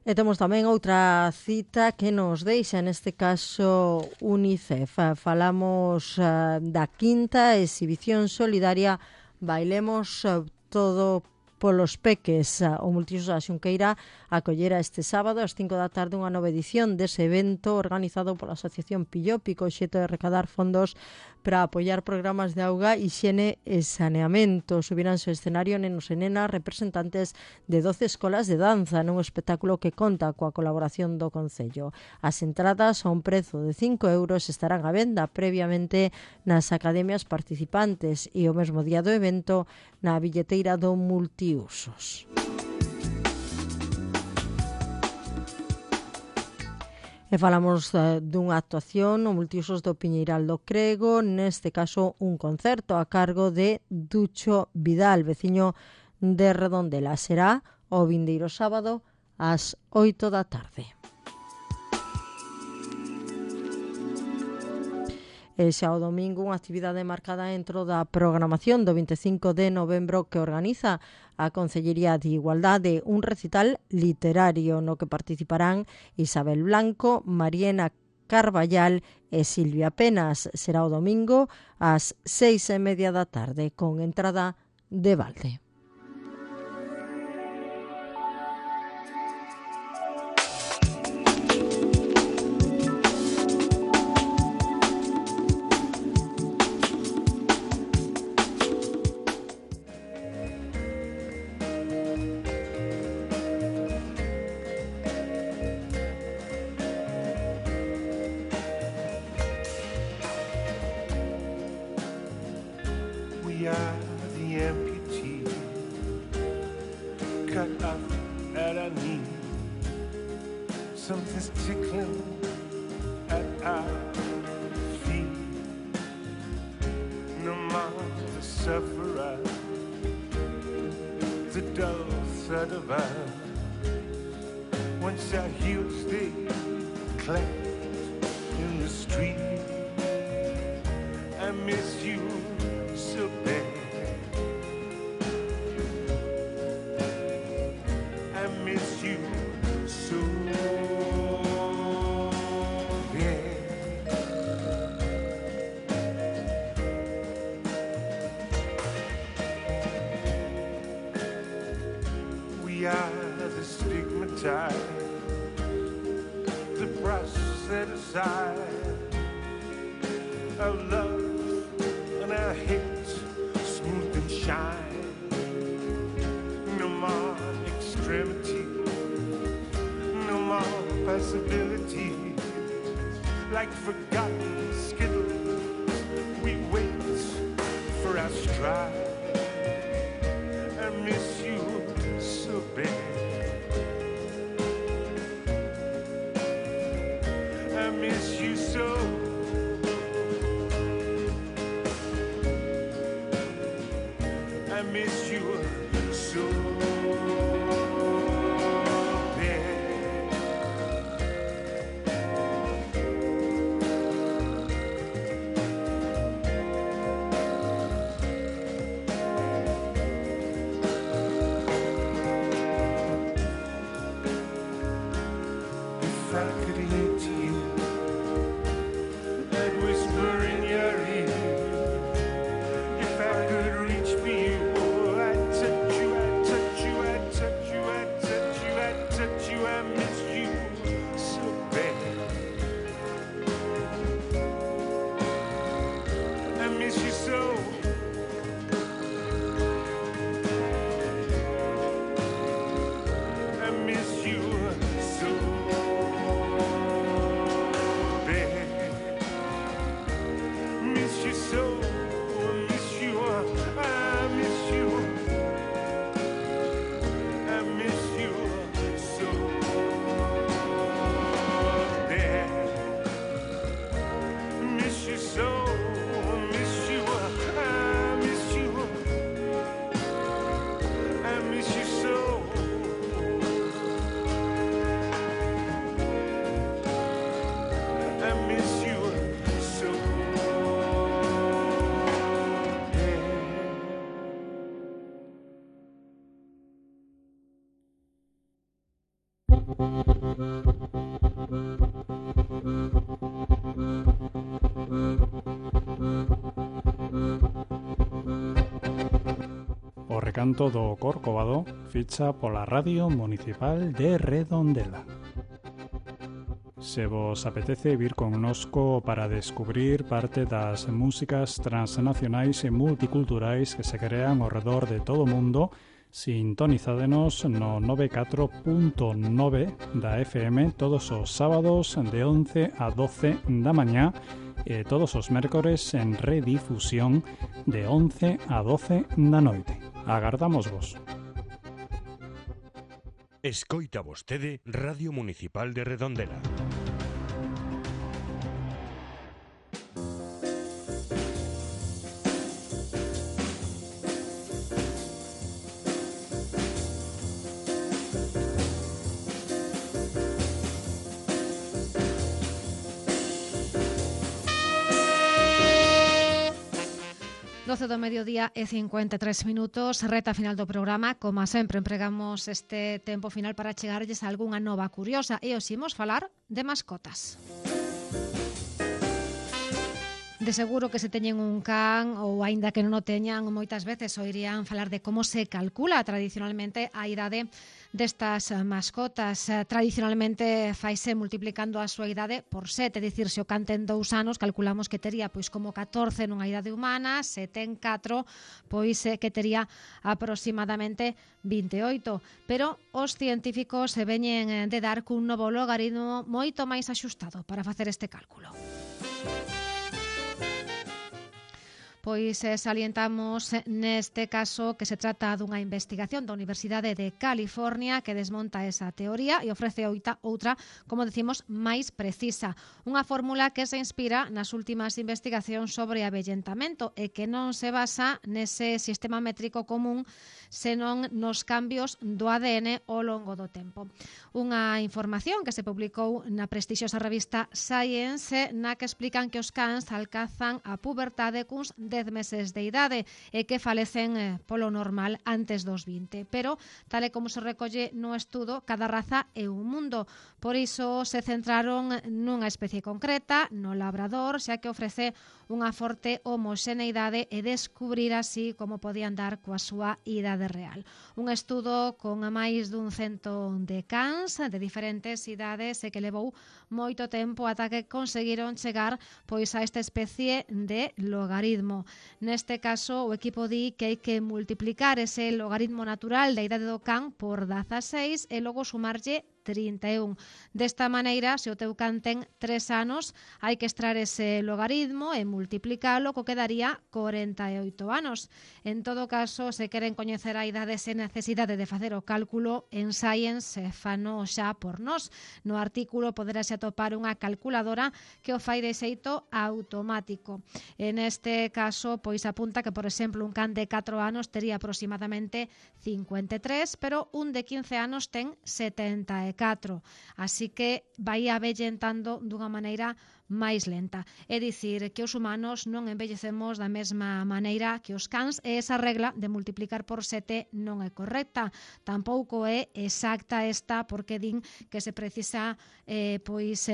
E temos tamén outra cita que nos deixa, neste caso, UNICEF. Falamos da quinta exhibición solidaria Bailemos todo polos peques. O Multiusos da Xunqueira acollera este sábado ás 5 da tarde unha nova edición dese evento organizado pola Asociación Pillopi, co xeito de recadar fondos para apoiar programas de auga, hixiene e saneamento. Subiránse ao escenario nenos e nenas representantes de 12 escolas de danza nun espectáculo que conta coa colaboración do Concello. As entradas a un prezo de 5 euros estarán á venda previamente nas academias participantes e o mesmo día do evento na billeteira do Multiusos. E falamos dunha actuación no Multiusos do Piñeiral do Crego, neste caso un concerto a cargo de Ducho Vidal, veciño de Redondela. Será o vindeiro sábado ás 8 da tarde. E xa o domingo unha actividade marcada dentro da programación do 25 de novembro que organiza a Concellería de Igualdade, un recital literario no que participarán Isabel Blanco, Mariena Carballal e Silvia Penas. Será o domingo ás 6:30 da tarde con entrada de balde. We are the amputee, cut off at our knee. Something's tickling at our feet. No more the sufferer, the dull thud of our. Once our heels they clapped in the street. I miss you so bad. I miss you so bad. We are the stigmatized, the brush set aside, our love and our hate smooth and shine. No more extremity, no more possibility. Like forgotten skittles, we wait for our stride. I miss you so bad. I miss you so. I miss you so bad. O recanto do Corcovado ficha pola Radio Municipal de Redondela. Se vos apetece vir connosco para descubrir parte das músicas transnacionais e multiculturais que se crean ao redor de todo o mundo, sintonizádenos no 94.9 da FM todos os sábados de 11 a 12 da mañá e todos os mércores en redifusión de 11 a 12 da noite. Agardamos vos. Escoita vostede Radio Municipal de Redondela. Do mediodía e 53 minutos, reta final do programa. Como sempre, empregamos este tempo final para chegarlles a algunha nova curiosa e hoxe imos falar de mascotas. De seguro que se teñen un can ou aínda que non o teñan, moitas veces oirían falar de como se calcula tradicionalmente a idade destas mascotas. Tradicionalmente faise multiplicando a súa idade por 7, é dicir, se o can ten 2 anos, calculamos que tería pois como 14 nunha idade humana, se ten 4, pois que tería aproximadamente 28. Pero os científicos se veñen de dar cun novo logaritmo moito máis axustado para facer este cálculo. Pois salientamos neste caso que se trata dunha investigación da Universidade de California que desmonta esa teoría e ofrece outra, como decimos, máis precisa. Unha fórmula que se inspira nas últimas investigacións sobre avellentamento e que non se basa nese sistema métrico común, senón nos cambios do ADN ao longo do tempo. Unha información que se publicou na prestixiosa revista Science, na que explican que os cans alcanzan a pubertade cuns 10 meses de idade e que falecen polo normal antes dos 20. Pero, tal e como se recolle no estudo, cada raza é un mundo. Por iso se centraron nunha especie concreta, no labrador, xa que ofrece unha forte homoxeneidade e descubrir así como podían dar coa súa idade real. Un estudo con a máis dun 100 de cans de diferentes idades e que levou moito tempo ata que conseguiron chegar pois a esta especie de logaritmo. Neste caso, o equipo di que hai que multiplicar ese logaritmo natural da idade do can por 16 e logo sumarlle 31. Desta maneira, se o teu can ten 3 anos, hai que extraer ese logaritmo e multiplicalo, co que daría 48 anos. En todo caso, se queren coñecer a idade sen necesidade de facer o cálculo, en Science fano xa por nós. No artículo poderase atopar unha calculadora que o fai de xeito automático. En este caso, pois apunta que, por exemplo, un can de 4 anos tería aproximadamente 53, pero un de 15 anos ten 74. Así que vai avellentando dunha maneira máis lenta. É dicir, que os humanos non envellecemos da mesma maneira que os cans e esa regla de multiplicar por 7 non é correcta. Tampouco é exacta esta porque din que se precisa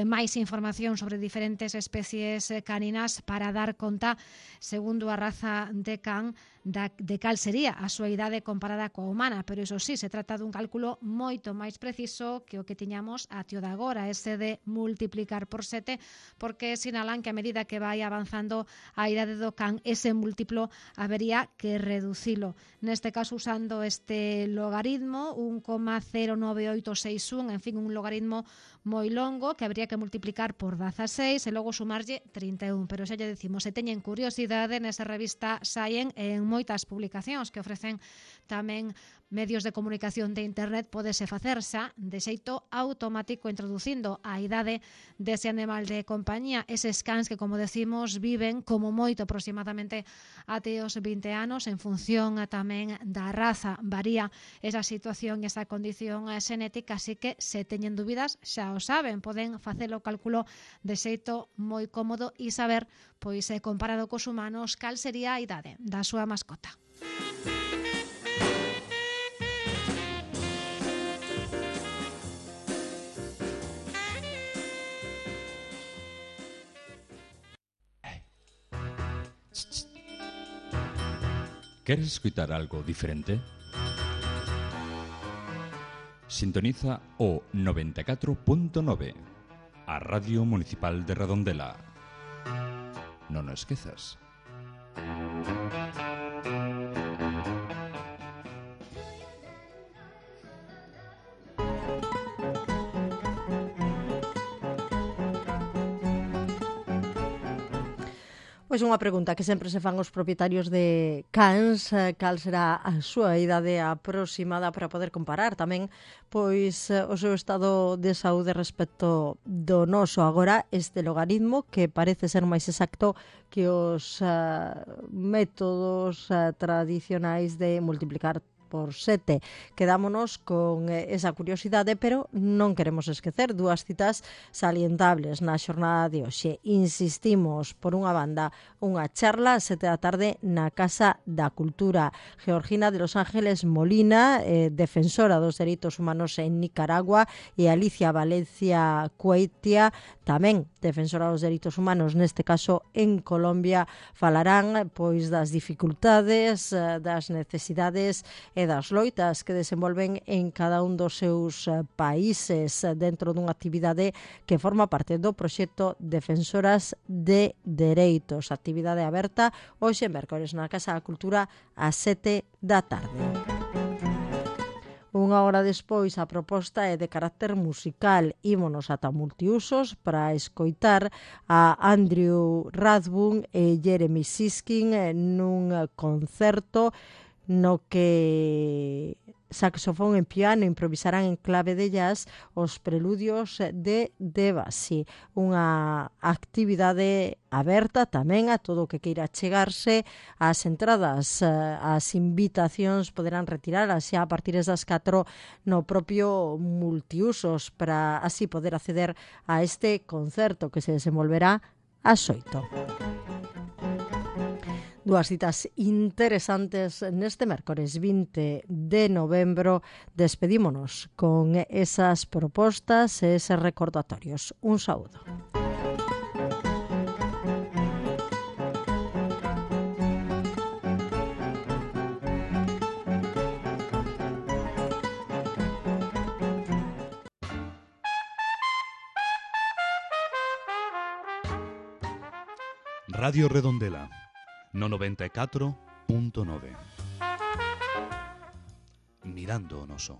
máis información sobre diferentes especies caninas para dar conta, segundo a raza de can, de cal sería a súa idade comparada coa humana, pero iso sí, se trata dun cálculo moito máis preciso que o que tiñamos até o de agora, ese de multiplicar por 7, porque sinalan que a medida que vai avanzando a idade do can, ese múltiplo habería que reducilo. Neste caso, usando este logaritmo, 1,09861, en fin, un logaritmo moi longo que habría que multiplicar por 16 e logo sumarlle 31. Pero xa lle decimos, se teñen curiosidade, nesa revista Science, en moitas publicacións que ofrecen tamén medios de comunicación de internet, podese facer xa de xeito automático introducindo a idade dese animal de compañía, eses cans que, como decimos, viven como moito aproximadamente até os 20 anos, en función tamén da raza. Varía esa situación e esa condición xenética, así que se teñen dúbidas xa o saben, poden facer o cálculo de xeito moi cómodo e saber, pois comparado cos humanos, cal sería a idade da súa mascota. ¿Queres escuchar algo diferente? Sintoniza o 94.9, a Radio Municipal de Redondela. Non o esquezas. Pois unha pregunta que sempre se fan os propietarios de cans, cal será a súa idade aproximada para poder comparar tamén pois o seu estado de saúde respecto do noso. Agora, este logaritmo que parece ser máis exacto que os métodos tradicionais de multiplicar por 7. Quedámonos con esa curiosidade, pero non queremos esquecer dúas citas salientables na xornada de hoxe. Insistimos, por unha banda, unha charla a 7 da tarde na Casa da Cultura. Georgina de Los Ángeles Molina, defensora dos dereitos humanos en Nicaragua, e Alicia Valencia Cueitia, tamén defensora dos dereitos humanos, neste caso en Colombia, falarán pois das dificultades, das necesidades e das loitas que desenvolven en cada un dos seus países dentro dunha actividade que forma parte do proxecto Defensoras de Dereitos. Actividade aberta hoxe mércores na Casa da Cultura ás 7 da tarde. Unha hora despois, a proposta é de carácter musical. Ímonos ata Multiusos para escoitar a Andrew Rathbun e Jeremy Siskin nun concerto no que saxofón e piano improvisarán en clave de jazz os preludios de Debussy. Unha actividade aberta tamén a todo o que queira chegarse. As entradas, as invitacións poderán retiralas xa a partir das 4 no propio Multiusos para así poder acceder a este concerto que se desenvolverá ás 8. Dúas citas interesantes neste mércores 20 de novembro. Despedímonos con esas propostas e eses recordatorios. Un saúdo. Radio Redondela no 94.9. Mirando o noso.